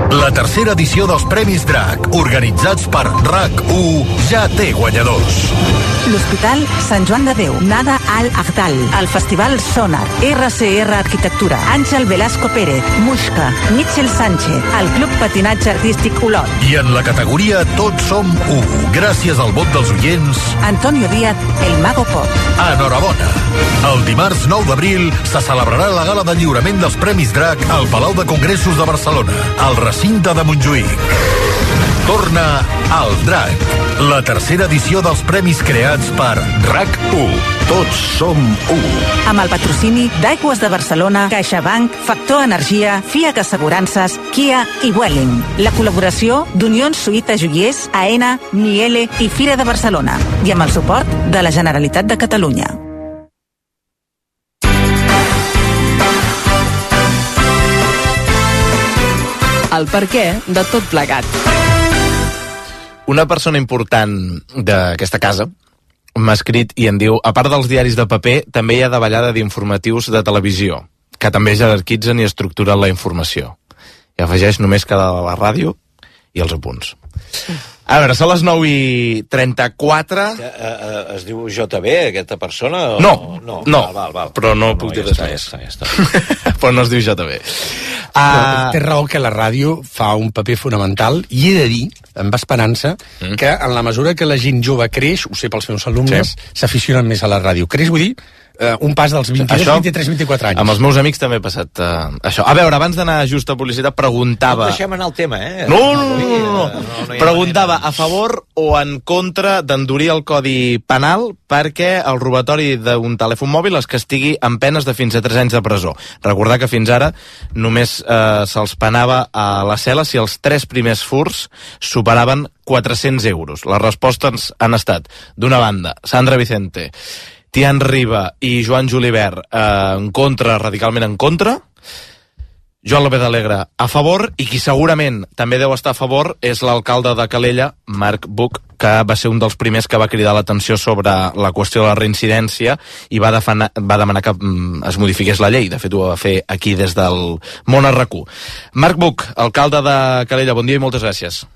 La tercera edició dels Premis DRAC, organitzats per RAC1, ja té guanyadors. L'Hospital Sant Joan de Déu, Nada Al Agdal, el Festival Sonar, RCR Arquitectura, Àngel Velasco Pérez, Muixca, Mitchell Sánchez, el Club Patinatge Artístic Olot. I en la categoria Tots som u, gràcies al vot dels oients, Antonio Díaz, el Mago Pop. Enhorabona! El dimarts 9 d'abril se celebrarà la gala de lliurament dels Premis DRAC al Palau de Congressos de Barcelona, al recinte de Montjuïc. Torna al Drac, la tercera edició dels premis creats per RAC1. Tots som u. Amb el patrocini d'Aigües de Barcelona, CaixaBank, Factor Energia, FIAC Assegurances, Kia i Welling. La col·laboració d'Unions Suïta Joiers, AENA, Miele i Fira de Barcelona. I amb el suport de la Generalitat de Catalunya. El perquè de tot plegat. Una persona important d'aquesta casa m'ha escrit i em diu: a part dels diaris de paper, també hi ha davallada d'informatius de televisió, que també jerarquitzen i estructuren la informació. I afegeix només que la ràdio i els apunts. A veure, són les 9:34. Es diu JB, aquesta persona? No, val. Però no puc dir res més. Però no es diu JB. Té raó que la ràdio fa un paper fonamental, i he de dir, amb esperança, que en la mesura que la gent jove creix, ho sé pels meus alumnes, s'aficionen més a la ràdio. Creix, vull dir, un pas dels 22, 23, 24 anys. Amb els meus amics també he passat això. A veure, abans d'anar just a publicitat, preguntava... No deixem anar el tema, No. Preguntava a favor o en contra d'endurir el codi penal perquè el robatori d'un telèfon mòbil es castigui amb penes de fins a 3 anys de presó. Recordar que fins ara només se'ls penava a la cel·la si els 3 primers furts superaven 400 euros. Les respostes han estat, d'una banda, Sandra Vicente, Tian Riba i Joan Julibert en contra, radicalment en contra. Joan López Alegre a favor, i qui segurament també deu estar a favor és l'alcalde de Calella, Marc Buch, que va ser un dels primers que va cridar l'atenció sobre la qüestió de la reincidència i va demanar que es modifiqués la llei. De fet, ho va fer aquí des del Món RAC1. Marc Buch, alcalde de Calella, bon dia i moltes gràcies.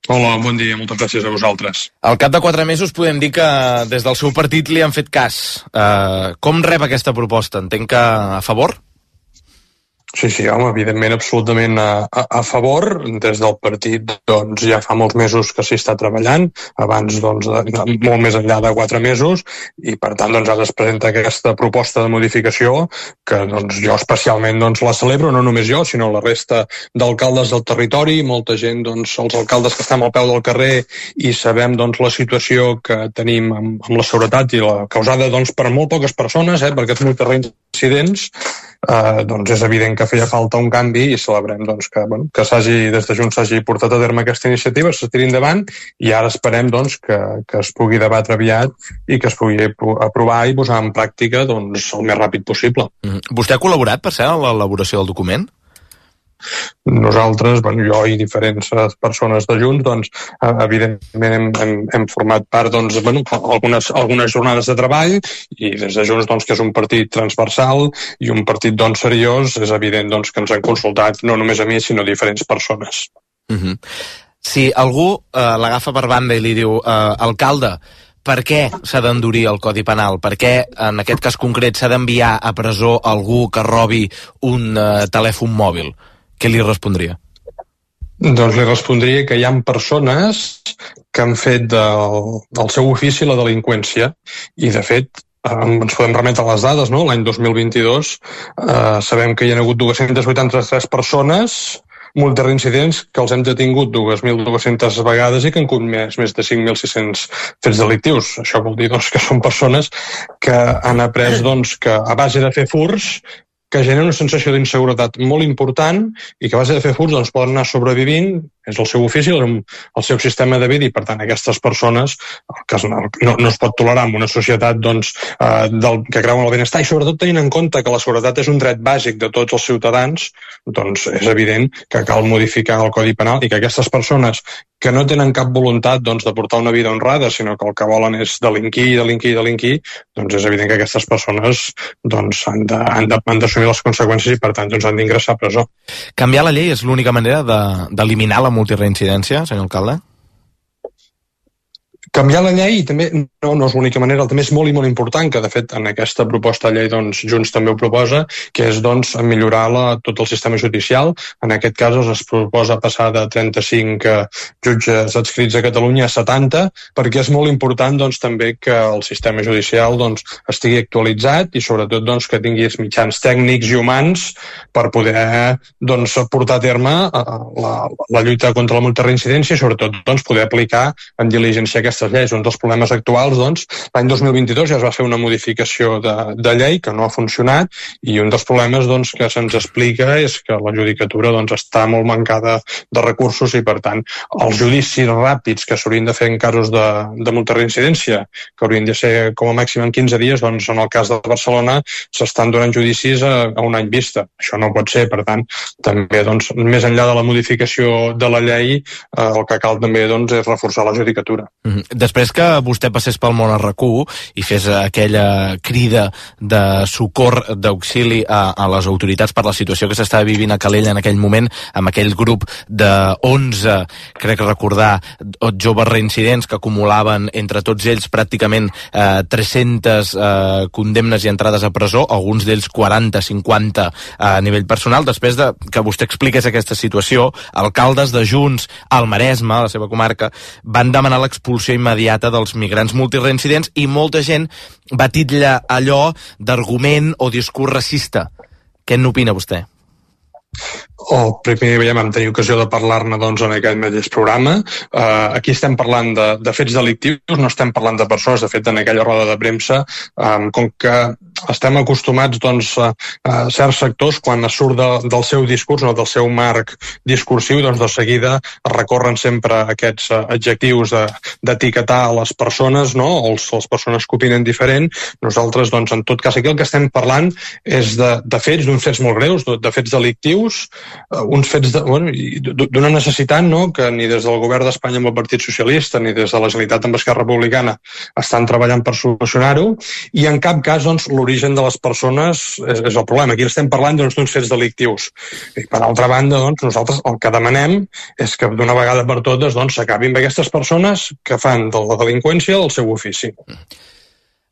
Hola, bon dia, moltes gràcies a vosaltres. Al cap de 4 mesos podem dir que des del seu partit li han fet cas. Com rep aquesta proposta? Entenc que a favor? Sí, home, evidentment, absolutament a favor. Des del partit, doncs, ja fa molts mesos que s'hi està treballant, abans, doncs, molt més enllà de 4 mesos, i per tant, doncs, ara es presenta aquesta proposta de modificació que, doncs, jo especialment, doncs, la celebro, no només jo, sinó la resta d'alcaldes del territori, molta gent, doncs, els alcaldes que estem al peu del carrer i sabem, doncs, la situació que tenim amb la seguretat i la causada, doncs, per molt poques persones, perquè són molts reincidents, doncs és evident que feia falta un canvi i celebrem doncs, que des de Junts s'hagi portat a terme aquesta iniciativa, se tiri endavant, i ara esperem doncs, que es pugui debatre aviat i que es pugui aprovar i posar en pràctica doncs, el més ràpid possible. Vostè ha col·laborat, per cert, en l'elaboració del document? Nosaltres, jo i diferents persones de Junts, doncs, evidentment hem format part doncs, algunes jornades de treball, i des de Junts, doncs, que és un partit transversal i un partit doncs, seriós, és evident doncs, que ens han consultat no només a mi, sinó a diferents persones. Si algú l'agafa per banda i li diu alcalde, per què s'ha d'endurir el Codi Penal? Per què, en aquest cas concret, s'ha d'enviar a presó algú que robi un telèfon mòbil? Què li respondria? Doncs li respondria que hi ha persones que han fet del seu ofici la delinqüència, i de fet ens podem remetre a les dades, no? L'any 2022 sabem que hi ha hagut 283 persones multireincidents que els hem detingut 2.200 vegades i que han comès més de 5.600 fets delictius. Això vol dir doncs, que són persones que han après doncs, que a base de fer furts que genera una sensació d'inseguretat molt important i que a base de fer furts doncs, poden anar sobrevivint, és el seu ofici, el seu sistema de vida, i per tant aquestes persones no es pot tolerar en una societat doncs, que creu en el benestar, i sobretot tenint en compte que la seguretat és un dret bàsic de tots els ciutadans, doncs és evident que cal modificar el Codi Penal i que aquestes persones que no tenen cap voluntat doncs, de portar una vida honrada, sinó que el que volen és delinquir, doncs és evident que aquestes persones doncs, han d'assumir les conseqüències i per tant doncs, han d'ingressar a presó. Canviar la llei és l'única manera d'eliminar la multireincidència, senyor alcalde? Canviar la llei també no és l'única manera, també és molt i molt important, que de fet en aquesta proposta de llei doncs, Junts també ho proposa, que és doncs, millorar tot el sistema judicial. En aquest cas es proposa passar de 35 jutges adscrits a Catalunya a 70, perquè és molt important doncs, també que el sistema judicial doncs, estigui actualitzat i sobretot doncs, que tingui mitjans tècnics i humans per poder doncs, portar a terme la lluita contra la multireincidència i sobretot doncs, poder aplicar en diligència aquestes lleis. Un dels problemes actuals, doncs, l'any 2022 ja es va fer una modificació de llei que no ha funcionat i un dels problemes doncs, que se'ns explica és que la judicatura doncs, està molt mancada de recursos i, per tant, els judicis ràpids que s'haurien de fer en casos de multireincidència, que haurien de ser com a màxim en 15 dies, doncs, en el cas de Barcelona s'estan donant judicis a un any vista. Això no pot ser, per tant, també, doncs, més enllà de la modificació de la llei, el que cal també doncs, és reforçar la judicatura. Després que vostè passés pel món RAC1 i fes aquella crida de socor, d'auxili a les autoritats per la situació que s'estava vivint a Calella en aquell moment, amb aquell grup de 11, crec recordar, joves reincidents que acumulaven entre tots ells pràcticament 300 condemnes i entrades a presó, alguns d'ells 40, 50 a nivell personal. Després de que vostè expliqués aquesta situació, alcaldes de Junts al Maresme, a la seva comarca, van demanar l'expulsió immediata dels migrants multireincidents i molta gent va titllar allò d'argument o discurs racista. Què n'opina vostè? Primer vam tenir ocasió de parlar-ne doncs, en aquest mateix programa. Aquí estem parlant de fets delictius, no estem parlant de persones. De fet, en aquella roda de premsa, com que estem acostumats doncs, a certs sectors, quan es surt del seu discurs o del seu marc discursiu, doncs de seguida recorren sempre aquests adjectius d'etiquetar a les persones, no? O les persones que opinen diferent. Nosaltres, doncs, en tot cas, aquí el que estem parlant és de fets, d'uns fets molt greus, de fets delictius, uns fets d'una necessitat, no? Que ni des del govern d'Espanya amb el Partit Socialista ni des de la Generalitat amb Esquerra Republicana estan treballant per solucionar-ho, i en cap cas doncs, l'origen de les persones és el problema. Aquí estem parlant d'uns fets delictius. I per altra banda, doncs, nosaltres el que demanem és que d'una vegada per totes s'acabin amb aquestes persones que fan de la delinqüència el seu ofici.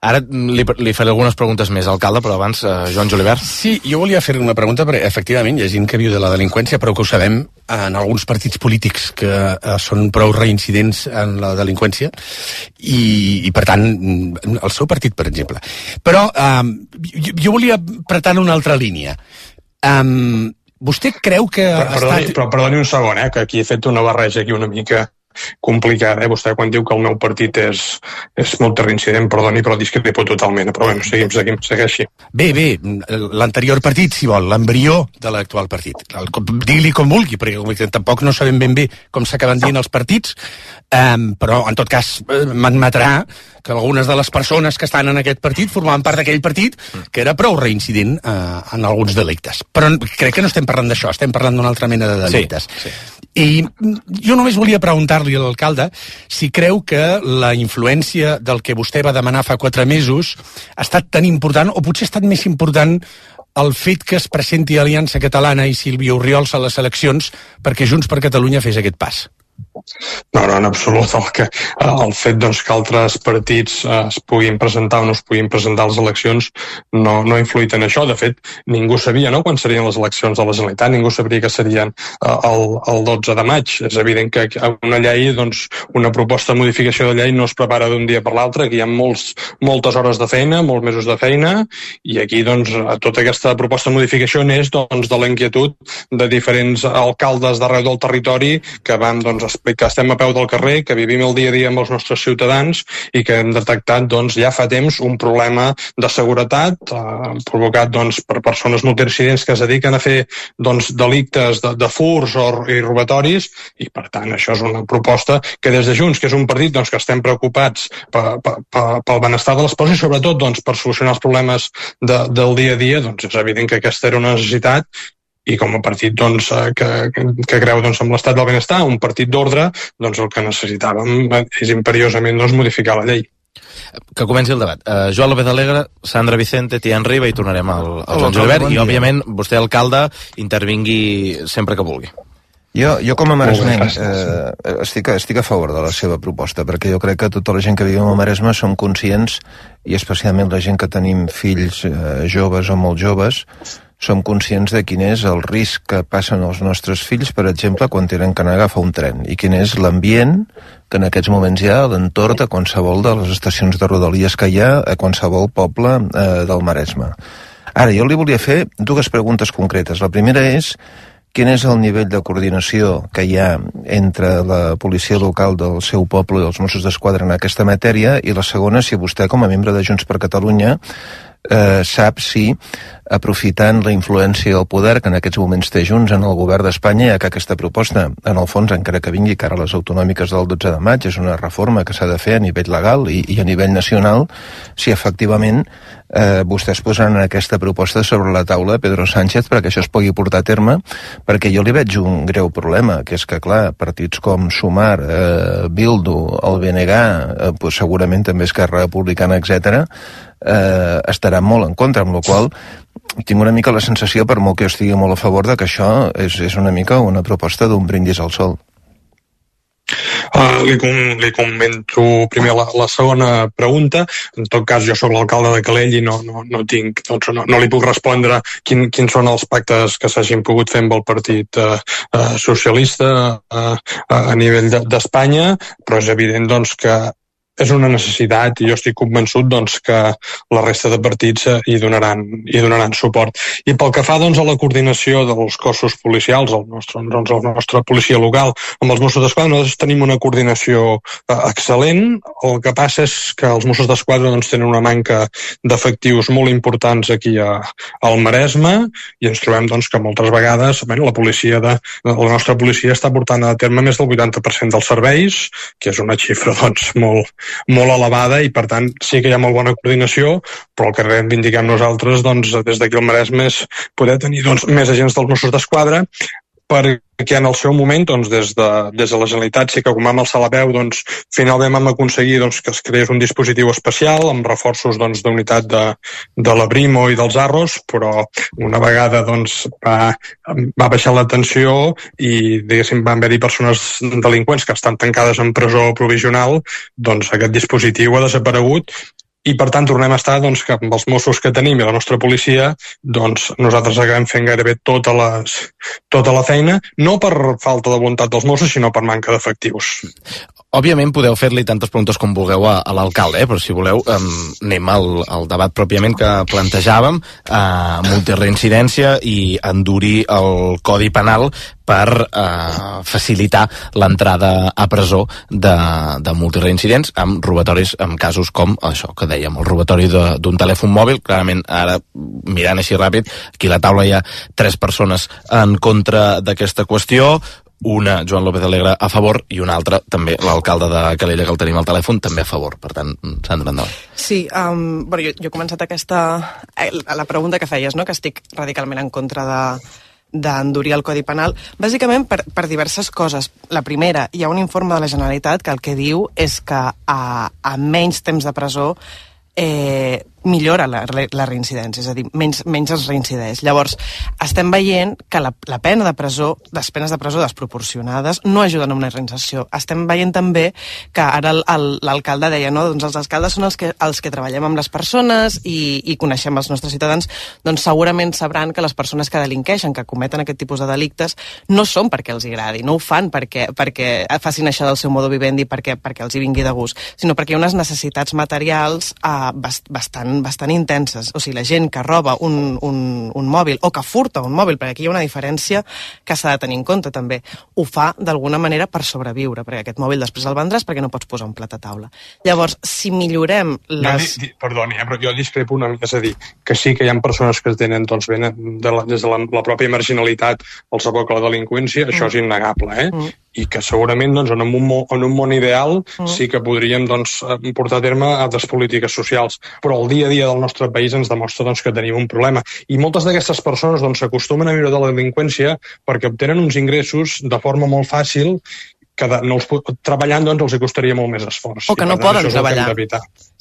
Ara li faré algunes preguntes més, alcalde, però abans, Joan Julivert. Sí, jo volia fer una pregunta, perquè efectivament hi ha gent que viu de la delinqüència, però que ho sabem en alguns partits polítics que són prou reincidents en la delinqüència, i per tant, el seu partit, per exemple. Però jo volia apretar una altra línia. Vostè creu que... Però perdoni un segon, que aquí he fet una barreja aquí una mica complicada, Vostè quan diu que el meu partit és molt reincident, perdoni, però discrepo totalment, però bueno, segueixi. Bé, l'anterior partit, si vol, l'embrió de l'actual partit. Digui-li com vulgui, perquè tampoc no sabem ben bé com s'acaben dient els partits, però en tot cas m'admetrà que algunes de les persones que estan en aquest partit formaven part d'aquell partit que era prou reincident en alguns delictes. Però crec que no estem parlant d'això, estem parlant d'una altra mena de delictes. Sí. I jo només volia preguntar-li a l'alcalde si creu que la influència del que vostè va demanar fa 4 mesos ha estat tan important, o potser ha estat més important el fet que es presenti Aliança Catalana i Sílvia Orriols a les eleccions perquè Junts per Catalunya fes aquest pas. No, en absolut. El fet que altres partits es puguin presentar o no es puguin presentar a les eleccions no ha influït en això. De fet, ningú sabia quan serien les eleccions de la Generalitat, ningú sabria que serien el 12 de maig. És evident que una llei, una proposta de modificació de llei no es prepara d'un dia per l'altre, que hi ha moltes hores de feina, molts mesos de feina, i aquí tota aquesta proposta de modificació neix de la inquietud de diferents alcaldes d'arreu del territori que van explicar que estem a peu del carrer, que vivim el dia a dia amb els nostres ciutadans i que hem detectat ja fa temps un problema de seguretat provocat per persones multireincidents que es dediquen a fer delictes de furs i robatoris, i per tant això és una proposta que des de Junts, que és un partit que estem preocupats pel benestar de les persones i sobretot per solucionar els problemes del dia a dia, és evident que aquesta era una necessitat. I com a partit que creu en l'estat del benestar, un partit d'ordre, el que necessitàvem és imperiosament modificar la llei. Que comenci el debat. Joan López Alegre, Sandra Vicente, Tian Riba, i tornarem al Joan Julivert, i òbviament vostè, alcalde, intervingui sempre que vulgui. Jo com a maresmenc estic a favor de la seva proposta, perquè jo crec que tota la gent que vivim al Maresme som conscients, i especialment la gent que tenim fills joves o molt joves, som conscients de quin és el risc que passen els nostres fills, per exemple, quan tenen que anar a agafar un tren, i quin és l'ambient que en aquests moments hi ha a l'entorn de qualsevol de les estacions de rodalies que hi ha a qualsevol poble del Maresme. Ara, jo li volia fer dues preguntes concretes. La primera és quin és el nivell de coordinació que hi ha entre la policia local del seu poble i els Mossos d'Esquadra en aquesta matèria, i la segona, si vostè, com a membre de Junts per Catalunya, sap si, aprofitant la influència del poder que en aquests moments té Junts en el govern d'Espanya, ja que aquesta proposta, en el fons, encara que vingui cara a les autonòmiques del 12 de maig, és una reforma que s'ha de fer a nivell legal i a nivell nacional, si efectivament vostès posaran aquesta proposta sobre la taula de Pedro Sánchez perquè això es pugui portar a terme, perquè jo li veig un greu problema, que és que, clar, partits com Sumar, Bildu, el BNG, segurament també Esquerra Republicana, etc., estaran molt en contra, amb la qual tinc una mica la sensació, per molt que jo estigui molt a favor, de que això és una mica una proposta d'un brindis al sol. Li comento primer la segona pregunta. En tot cas, jo sóc l'alcalde de Calella i no li puc respondre quins són els pactes que s'hagin pogut fer amb el Partit Socialista a nivell d'Espanya, però és evident doncs, que és una necessitat i jo estic convençut doncs, que la resta de partits hi donaran suport. I pel que fa doncs, a la coordinació dels cossos policials, el nostre policia local amb els Mossos d'Esquadra, nosaltres tenim una coordinació excel·lent. El que passa és que els Mossos d'Esquadra doncs, tenen una manca d'efectius molt importants aquí al Maresme, i ens trobem doncs, que moltes vegades la nostra policia està portant a terme més del 80% dels serveis, que és una xifra doncs, molt elevada, i per tant sí que hi ha molt bona coordinació, però el que reivindiquem nosaltres doncs, des d'aquí al Maresme és poder tenir doncs, més agents dels Mossos d'Esquadra, perquè en el seu moment, doncs, des de la Generalitat, sí que com vam alçar la veu, doncs, finalment vam aconseguir doncs, que es creés un dispositiu especial amb reforços doncs, d'unitat de la Brimo i dels Arros, però una vegada doncs, va baixar la tensió i diguéssim van haver-hi persones delinqüents que estan tancades en presó provisional, doncs aquest dispositiu ha desaparegut. I per tant tornem a estar doncs, que amb els Mossos que tenim i la nostra policia doncs, nosaltres acabem fent gairebé tota la feina, no per falta de voluntat dels Mossos, sinó per manca d'efectius. Òbviament podeu fer-li tantes preguntes com vulgueu a l'alcalde, però si voleu anem al debat pròpiament que plantejàvem, multireincidència i endurir el Codi Penal per facilitar l'entrada a presó de multireincidents amb robatoris, amb casos com això que dèiem, el robatori d'un telèfon mòbil. Clarament, ara mirant així ràpid, aquí a la taula hi ha 3 persones en contra d'aquesta qüestió, una, Joan López Alegre, a favor, i una altra, també l'alcalde de Calella, que el tenim al telèfon, també a favor. Per tant, Sandra, endavant. Sí, jo he començat la pregunta que feies, no? Que estic radicalment en contra d'endurir el Codi Penal, bàsicament per diverses coses. La primera, hi ha un informe de la Generalitat que el que diu és que a menys temps de presó millora la reincidència, és a dir, menys es reincideix. Llavors, estem veient que la pena de presó, les penes de presó desproporcionades no ajuden a una reinserció. Estem veient també que ara l'alcalde deia, no? Doncs els alcaldes són els que treballem amb les persones i coneixem els nostres ciutadans, doncs segurament sabran que les persones que delinqueixen, que cometen aquest tipus de delictes, no són perquè els agradi, no ho fan perquè facin això del seu modo vivendi, perquè els hi vingui de gust, sinó perquè hi ha unes necessitats materials bastant intenses. O sigui, la gent que roba un mòbil o que furta un mòbil, perquè aquí hi ha una diferència que s'ha de tenir en compte també, ho fa d'alguna manera per sobreviure, perquè aquest mòbil després el vendràs perquè no pots posar un plat a taula. Llavors, si millorem les... Perdoni, però jo discrepo una mica, és a dir, que sí que hi ha persones que tenen, doncs, des de la pròpia marginalitat els aboca a la delinqüència, això és innegable, i que segurament doncs, en un món ideal sí que podríem doncs, portar a terme altres polítiques socials, però el dia a dia del nostre país ens demostra doncs, que tenim un problema. I moltes d'aquestes persones doncs, s'acostumen a viure de la delinqüència perquè obtenen uns ingressos de forma molt fàcil treballant doncs els costaria molt més esforç. O que no poden treballar.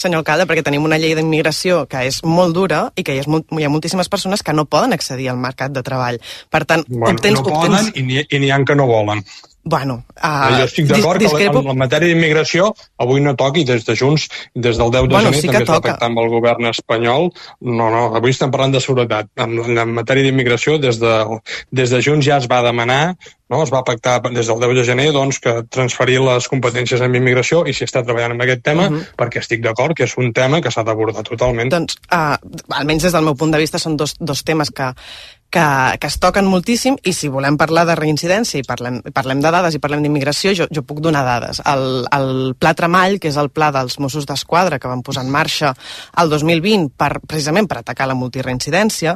Senyor alcalde, perquè tenim una llei d'immigració que és molt dura i que hi ha moltíssimes persones que no poden accedir al mercat de treball. Per tant, no poden i n'hi ha que no volen. Bueno, jo estic d'acord que en la matèria d'immigració avui no toqui des de Junts, des del 10 de gener sí també es va toca. pactar amb el govern espanyol. No, avui estem parlant de seguretat. En matèria d'immigració, des de Junts ja es va demanar, es va pactar des del 10 de gener doncs, que transferir les competències en immigració i s'hi està treballant en aquest tema, perquè estic d'acord que és un tema que s'ha d'abordar totalment. Doncs, almenys des del meu punt de vista, són dos temes que es toquen moltíssim, i si volem parlar de reincidència i parlem de dades i parlem d'immigració, jo puc donar dades. El Pla Tremall, que és el pla dels Mossos d'Esquadra que van posar en marxa el 2020 precisament per atacar la multireincidència,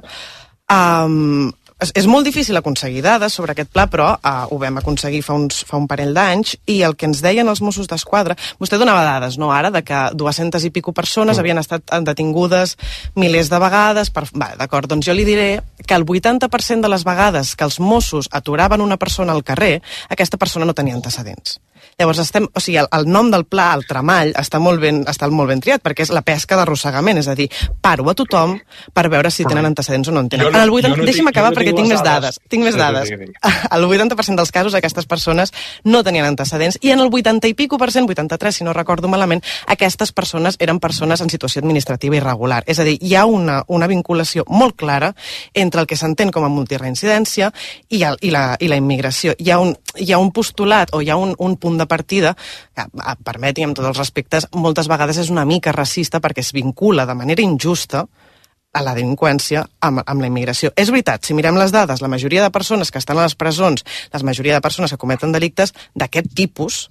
és molt difícil aconseguir dades sobre aquest pla, però ho vam aconseguir fa un parell d'anys, i el que ens deien els Mossos d'Esquadra, vostè donava dades, no ara, de que 200 i pico persones havien estat detingudes milers de vegades, d'acord, doncs jo li diré que el 80% de les vegades que els Mossos aturaven una persona al carrer, aquesta persona no tenia antecedents. Llavors, el nom del pla, el Tremall, està molt ben triat, perquè és la pesca d'arrossegament, és a dir, paro a tothom per veure si tenen antecedents o no en tenen. Deixi'm acabar perquè tinc més dades. El 80% dels casos aquestes persones no tenien antecedents, i en el 80 i pico %, 83 si no recordo malament, aquestes persones eren persones en situació administrativa irregular. És a dir, hi ha una vinculació molt clara entre el que s'entén com a multireincidència i la immigració. Hi ha un postulat o hi ha un punt de partida que, permeti'm amb tots els respectes, moltes vegades és una mica racista perquè es vincula de manera injusta a la delinqüència amb la immigració. És veritat, si mirem les dades, la majoria de persones que estan a les presons, la majoria de persones que cometen delictes d'aquest tipus,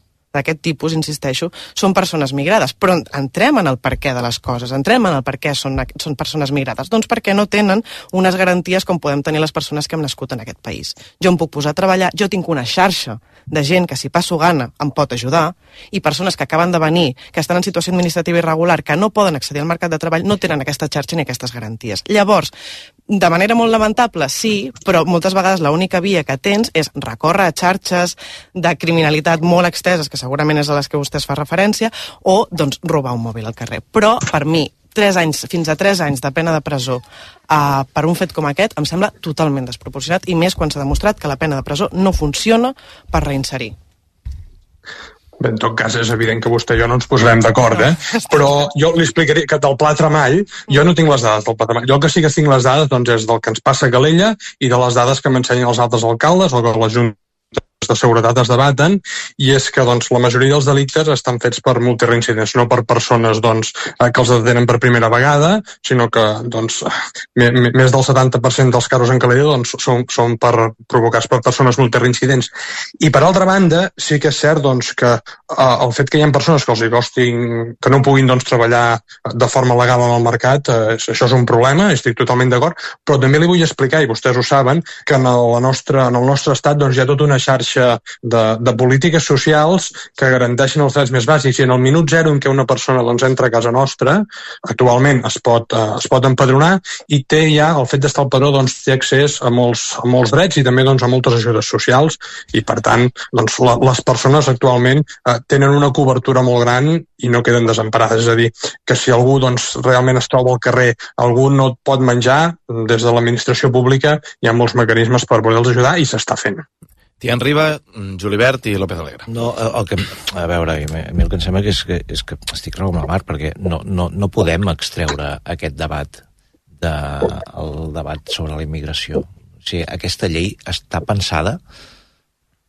insisteixo, són persones migrades. Però entrem en el perquè de les coses, entrem en el perquè són persones migrades. Doncs perquè no tenen unes garanties com podem tenir les persones que hem nascut en aquest país. Jo em puc posar a treballar, jo tinc una xarxa de gent que si passo gana em pot ajudar, i persones que acaben de venir, que estan en situació administrativa irregular, que no poden accedir al mercat de treball, no tenen aquesta xarxa ni aquestes garanties. Llavors, de manera molt lamentable, sí, però moltes vegades l'única via que tens és recórrer a xarxes de criminalitat molt exteses, que segurament és a les que vostè fa referència, o doncs robar un mòbil al carrer. Però, per mi, fins a 3 anys de pena de presó per un fet com aquest em sembla totalment desproporcionat, i més quan s'ha demostrat que la pena de presó no funciona per reinserir. Bé, en tot cas, és evident que vostè i jo no ens posarem d'acord, però jo li explicaré que del Pla Tremall, jo no tinc les dades del Pla Tremall. Jo que sí que tinc les dades doncs, és del que ens passa a Calella i de les dades que m'ensenyen els altres alcaldes o que les juntes de seguretat es debaten, i és que doncs, la majoria dels delictes estan fets per multireincidents, no per persones doncs, que els detenen per primera vegada, sinó que doncs, més del 70% dels casos en Calella doncs, són provocats per persones multireincidents. I per altra banda, sí que és cert doncs, que el fet que hi ha persones que els hi costin, que no puguin doncs, treballar de forma legal en el mercat, això és un problema, estic totalment d'acord, però també li vull explicar, i vostès ho saben, que en el nostre estat doncs, hi ha tota una xarxa de polítiques socials que garanteixen els drets més bàsics, i en el minut zero en què una persona doncs, entra a casa nostra, actualment es pot empadronar, i té ja, el fet d'estar al padró, doncs, té accés a molts drets i també doncs, a moltes ajudes socials, i per tant doncs, les persones actualment tenen una cobertura molt gran i no queden desemparades. És a dir, que si algú doncs, realment es troba al carrer, algú no et pot menjar, des de l'administració pública hi ha molts mecanismes per poder-los ajudar, i s'està fent. Tian Riba, Julibert i López Alegre. No, a veure, a mi el que em sembla que és que estic raó amb la Mar, perquè no podem extreure aquest debat el debat sobre la immigració. O sigui, aquesta llei està pensada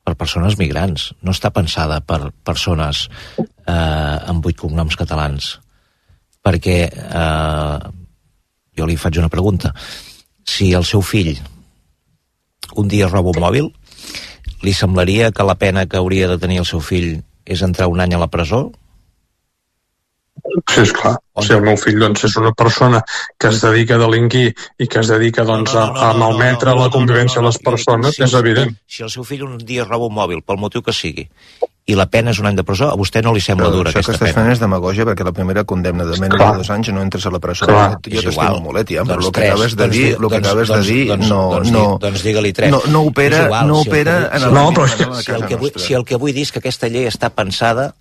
per persones migrants, no està pensada per persones amb 8 cognoms catalans. Perquè jo li faig una pregunta. Si el seu fill un dia roba un mòbil, li semblaria que la pena que hauria de tenir el seu fill és entrar un any a la presó? Sí, esclar. Si el meu fill doncs, és una persona que es dedica a delinquir i que es dedica doncs, a malmetre la convivència de les persones, és evident. Si el seu fill un dia roba un mòbil, pel motiu que sigui, i la pena és 1 any de presó, a vostè no li sembla dura aquesta pena? Això que estàs fent és demagògia, perquè la primera condemna de menys de 2 anys no entres a la presó. Jo t'estimo molt, Tiam, però el que acabes de dir doncs digue-li 3. No opera en l'àmbit. Si el que vull dir és que aquesta llei està pensada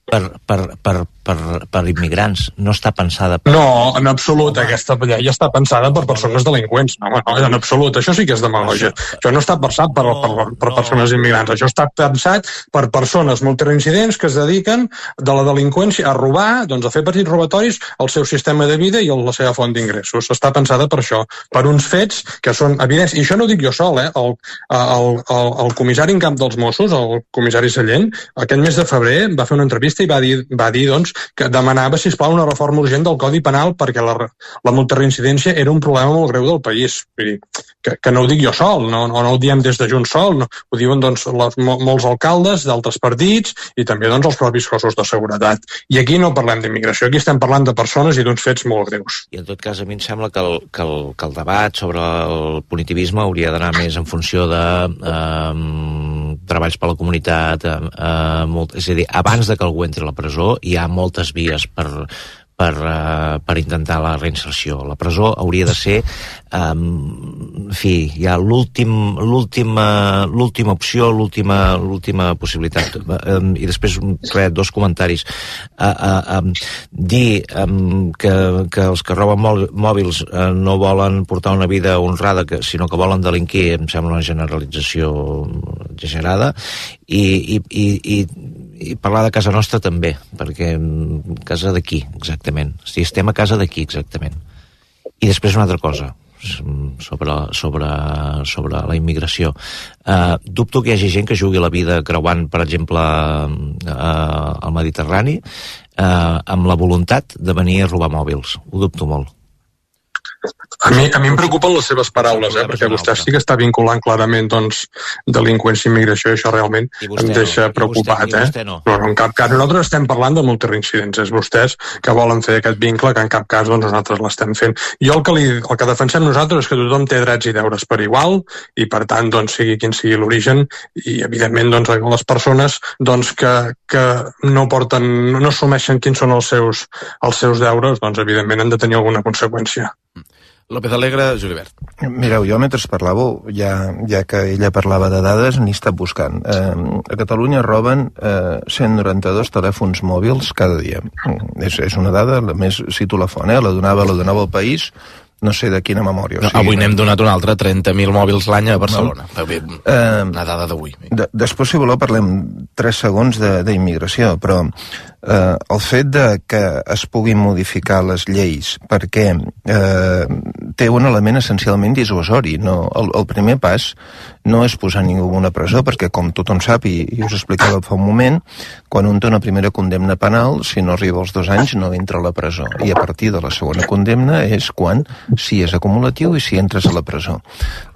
per immigrants, no està pensada per... No, en absolut, aquesta llei està pensada per persones delinqüents. No, en absolut, això sí que és demagògia. Això no està pensat per persones immigrants, això està pensat per persones multireincidents que es dediquen de la delinqüència a robar, doncs a fer petits robatoris al seu sistema de vida i a la seva font d'ingressos. Està pensada per això, per uns fets que són evidents. I això no ho dic jo sol, el comissari en cap dels Mossos, el comissari Sallent, aquest mes de febrer va fer una entrevista i va dir doncs, que demanava, sisplau, una reforma urgent del Codi Penal perquè la multireincidència era un problema molt greu del país. Vull dir, que no ho dic jo sol, no ho diem des de Junts sol, no, ho diuen doncs, molts alcaldes d'altres partits i també doncs, els propis cossos de seguretat. I aquí no parlem d'immigració, aquí estem parlant de persones i d'uns fets molt greus. I en tot cas, a mi em sembla que el debat sobre el punitivisme hauria d'anar més en funció de treballs per la comunitat, és a dir, abans de que algú entri a la presó hi ha moltes vies per intentar la reinserció. La presó hauria de ser en fi, hi ha l'última opció, l'última possibilitat. I després, dos comentaris. Dir que els que roben mòbils no volen portar una vida honrada, sinó que volen delinquir, em sembla una generalització exagerada, i parlar de casa nostra també, perquè casa d'aquí, exactament. Si estem a casa d'aquí, exactament. I després una altra cosa sobre la immigració. Dubto que hi hagi gent que jugui la vida creuant, per exemple, al Mediterrani, amb la voluntat de venir a robar mòbils. Ho dubto molt. A mi em preocupen les seves paraules, perquè vostè sí que està vinculant clarament doncs, delinqüència i immigració, i això realment em deixa preocupat. No, en cap cas. Nosaltres estem parlant de multireincidents, és vostès que volen fer aquest vincle que en cap cas doncs, nosaltres l'estem fent. Jo el que defensem nosaltres és que tothom té drets i deures per igual, i per tant, doncs, sigui quin sigui l'origen, i evidentment doncs, les persones doncs, que no assumeixen quins són els seus deures, doncs evidentment han de tenir alguna conseqüència. López Alegre, Julibert. Mireu, jo mentre parlàveu, ja que ella parlava de dades, n'he estat buscant. A Catalunya roben 192 telèfons mòbils cada dia. És una dada, més cito la font, la donava el País, no sé de quina memòria. No, avui n'hem donat una altra, 30.000 mòbils l'any a Barcelona. Una dada d'avui. Després, si voleu, parlem 3 segons d'immigració, però el fet de que es puguin modificar les lleis perquè té un element essencialment dissuasori. El primer pas no és posar ningú en una presó, perquè com tothom sap, i us explicava fa un moment, quan un té una primera condemna penal, si no arriba als 2 anys no entra a la presó, i a partir de la segona condemna és quan si és acumulatiu i si entres a la presó.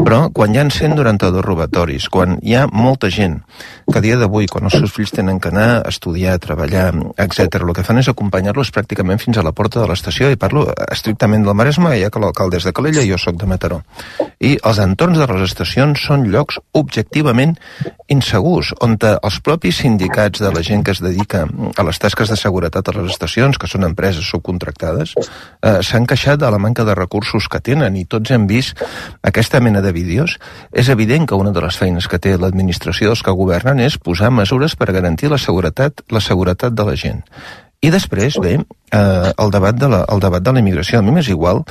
Però quan hi ha 192 robatoris, quan hi ha molta gent que a dia d'avui, quan els seus fills tenen que anar a estudiar, a treballar, etc., el que fan és acompanyar-los pràcticament fins a la porta de l'estació, i parlo estrictament del Maresme, ja que l'alcalde és de Calella i jo soc de Mataró. I els entorns de les estacions són llocs objectivament insegurs, on els propis sindicats de la gent que es dedica a les tasques de seguretat a les estacions, que són empreses subcontractades, s'han queixat de la manca de recursos que tenen, i tots hem vist aquesta mena de vídeos. És evident que una de les feines que té l'administració dels que governen és posar mesures per garantir la seguretat de la gent. I després ve el debat de la immigració. A mi m'és igual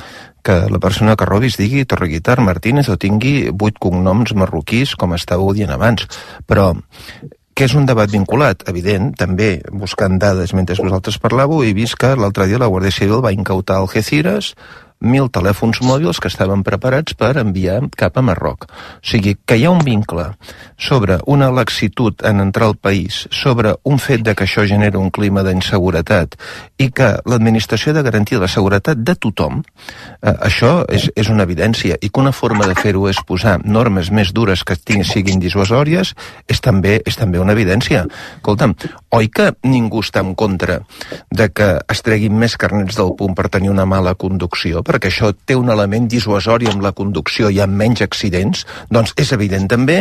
que la persona que robi es digui Torreguitar Martínez o tingui 8 cognoms marroquís, com estàveu dient abans, però que és un debat vinculat, evident, també buscant dades mentre vosaltres parlàveu, he vist que l'altre dia la Guàrdia Civil va incautar a Algeciras 1.000 telèfons mòbils que estaven preparats per enviar cap a Marroc. O sigui, que hi ha un vincle sobre una laxitud en entrar al país, sobre un fet de que això genera un clima d'inseguretat i que l'administració ha de garantir la seguretat de tothom, això és una evidència, i que una forma de fer-ho és posar normes més dures que siguin dissuasòries, és també una evidència. Escolta'm, oi que ningú està en contra de que es treguin més carnets del punt per tenir una mala conducció? perquè això té un element dissuasori amb la conducció, hi ha menys accidents, doncs és evident també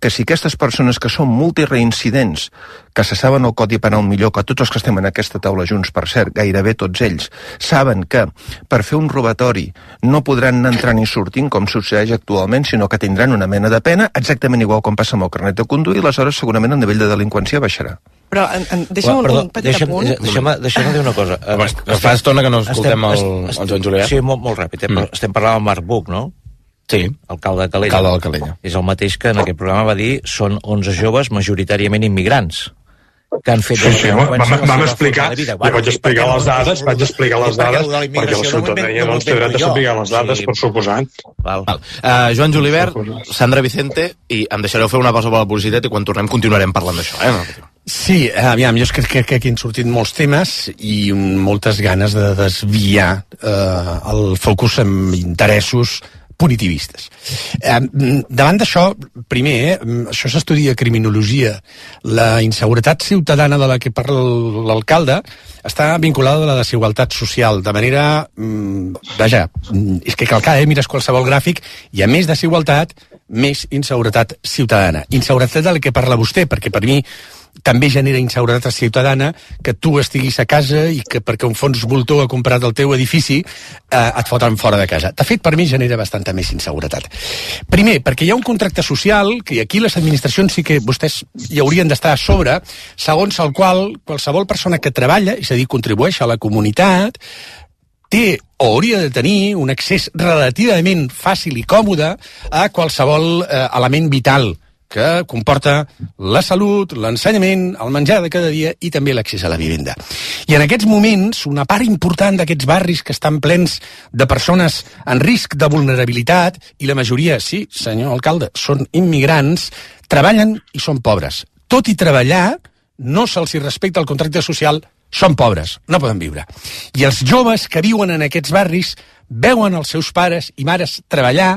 que si aquestes persones que són multireincidents, que se saben el codi penal millor que tots els que estem en aquesta taula junts, per cert, gairebé tots ells, saben que per fer un robatori no podran anar entrant i sortint com succeeix actualment, sinó que tindran una mena de pena, exactament igual com passa amb el carnet de conduir, i aleshores segurament el nivell de delinqüència baixarà. Però deixa'm un petit apunt. Deixa'm dir una cosa. Fa estona que no escoltem el Joan Julivert. Sí, molt ràpid. Estem parlant amb Marc Buch, no? Sí. Alcalde de Calella. És el mateix que en aquest programa va dir són 11 joves majoritàriament immigrants que han fet... Sí, vam explicar, vaig explicar les dades, perquè la ciutadania doncs, té dret a saber les dades, per suposat. Joan Julivert, Sandra Vicente, i em deixareu fer una pausa per la publicitat i quan tornem continuarem parlant d'això, Sí, aviam, jo crec que aquí han sortit molts temes i moltes ganes de desviar el focus amb interessos punitivistes. Davant d'això, primer, això s'estudia criminologia. La inseguretat ciutadana de la que parla l'alcalde està vinculada a la desigualtat social, de manera... vaja, és que cal mires qualsevol gràfic, hi ha més desigualtat, més inseguretat ciutadana. Inseguretat de la que parla vostè, perquè per mi també genera inseguretat ciutadana que tu estiguis a casa i que perquè un fons voltor ha comprat el teu edifici et foten fora de casa. De fet, per mi genera bastanta més inseguretat. Primer, perquè hi ha un contracte social que aquí les administracions sí que vostès hi haurien d'estar a sobre, segons el qual qualsevol persona que treballa, és a dir, contribueix a la comunitat, té o hauria de tenir un accés relativament fàcil i còmode a qualsevol element vital que comporta la salut, l'ensenyament, el menjar de cada dia i també l'accés a la vivenda. I en aquests moments, una part important d'aquests barris que estan plens de persones en risc de vulnerabilitat, i la majoria, sí, senyor alcalde, són immigrants, treballen i són pobres. Tot i treballar, no se'ls respecta el contracte social, són pobres, no poden viure. I els joves que viuen en aquests barris veuen els seus pares i mares treballar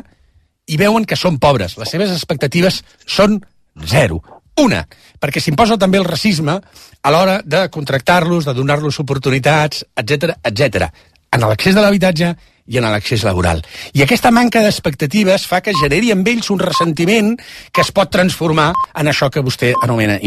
i veuen que són pobres. Les seves expectatives són zero. Una, perquè s'imposa també el racisme a l'hora de contractar-los, de donar-los oportunitats, etc etc. en l'accés de l'habitatge i en l'accés laboral. I aquesta manca d'expectatives fa que generi amb ells un ressentiment que es pot transformar en això que vostè anomena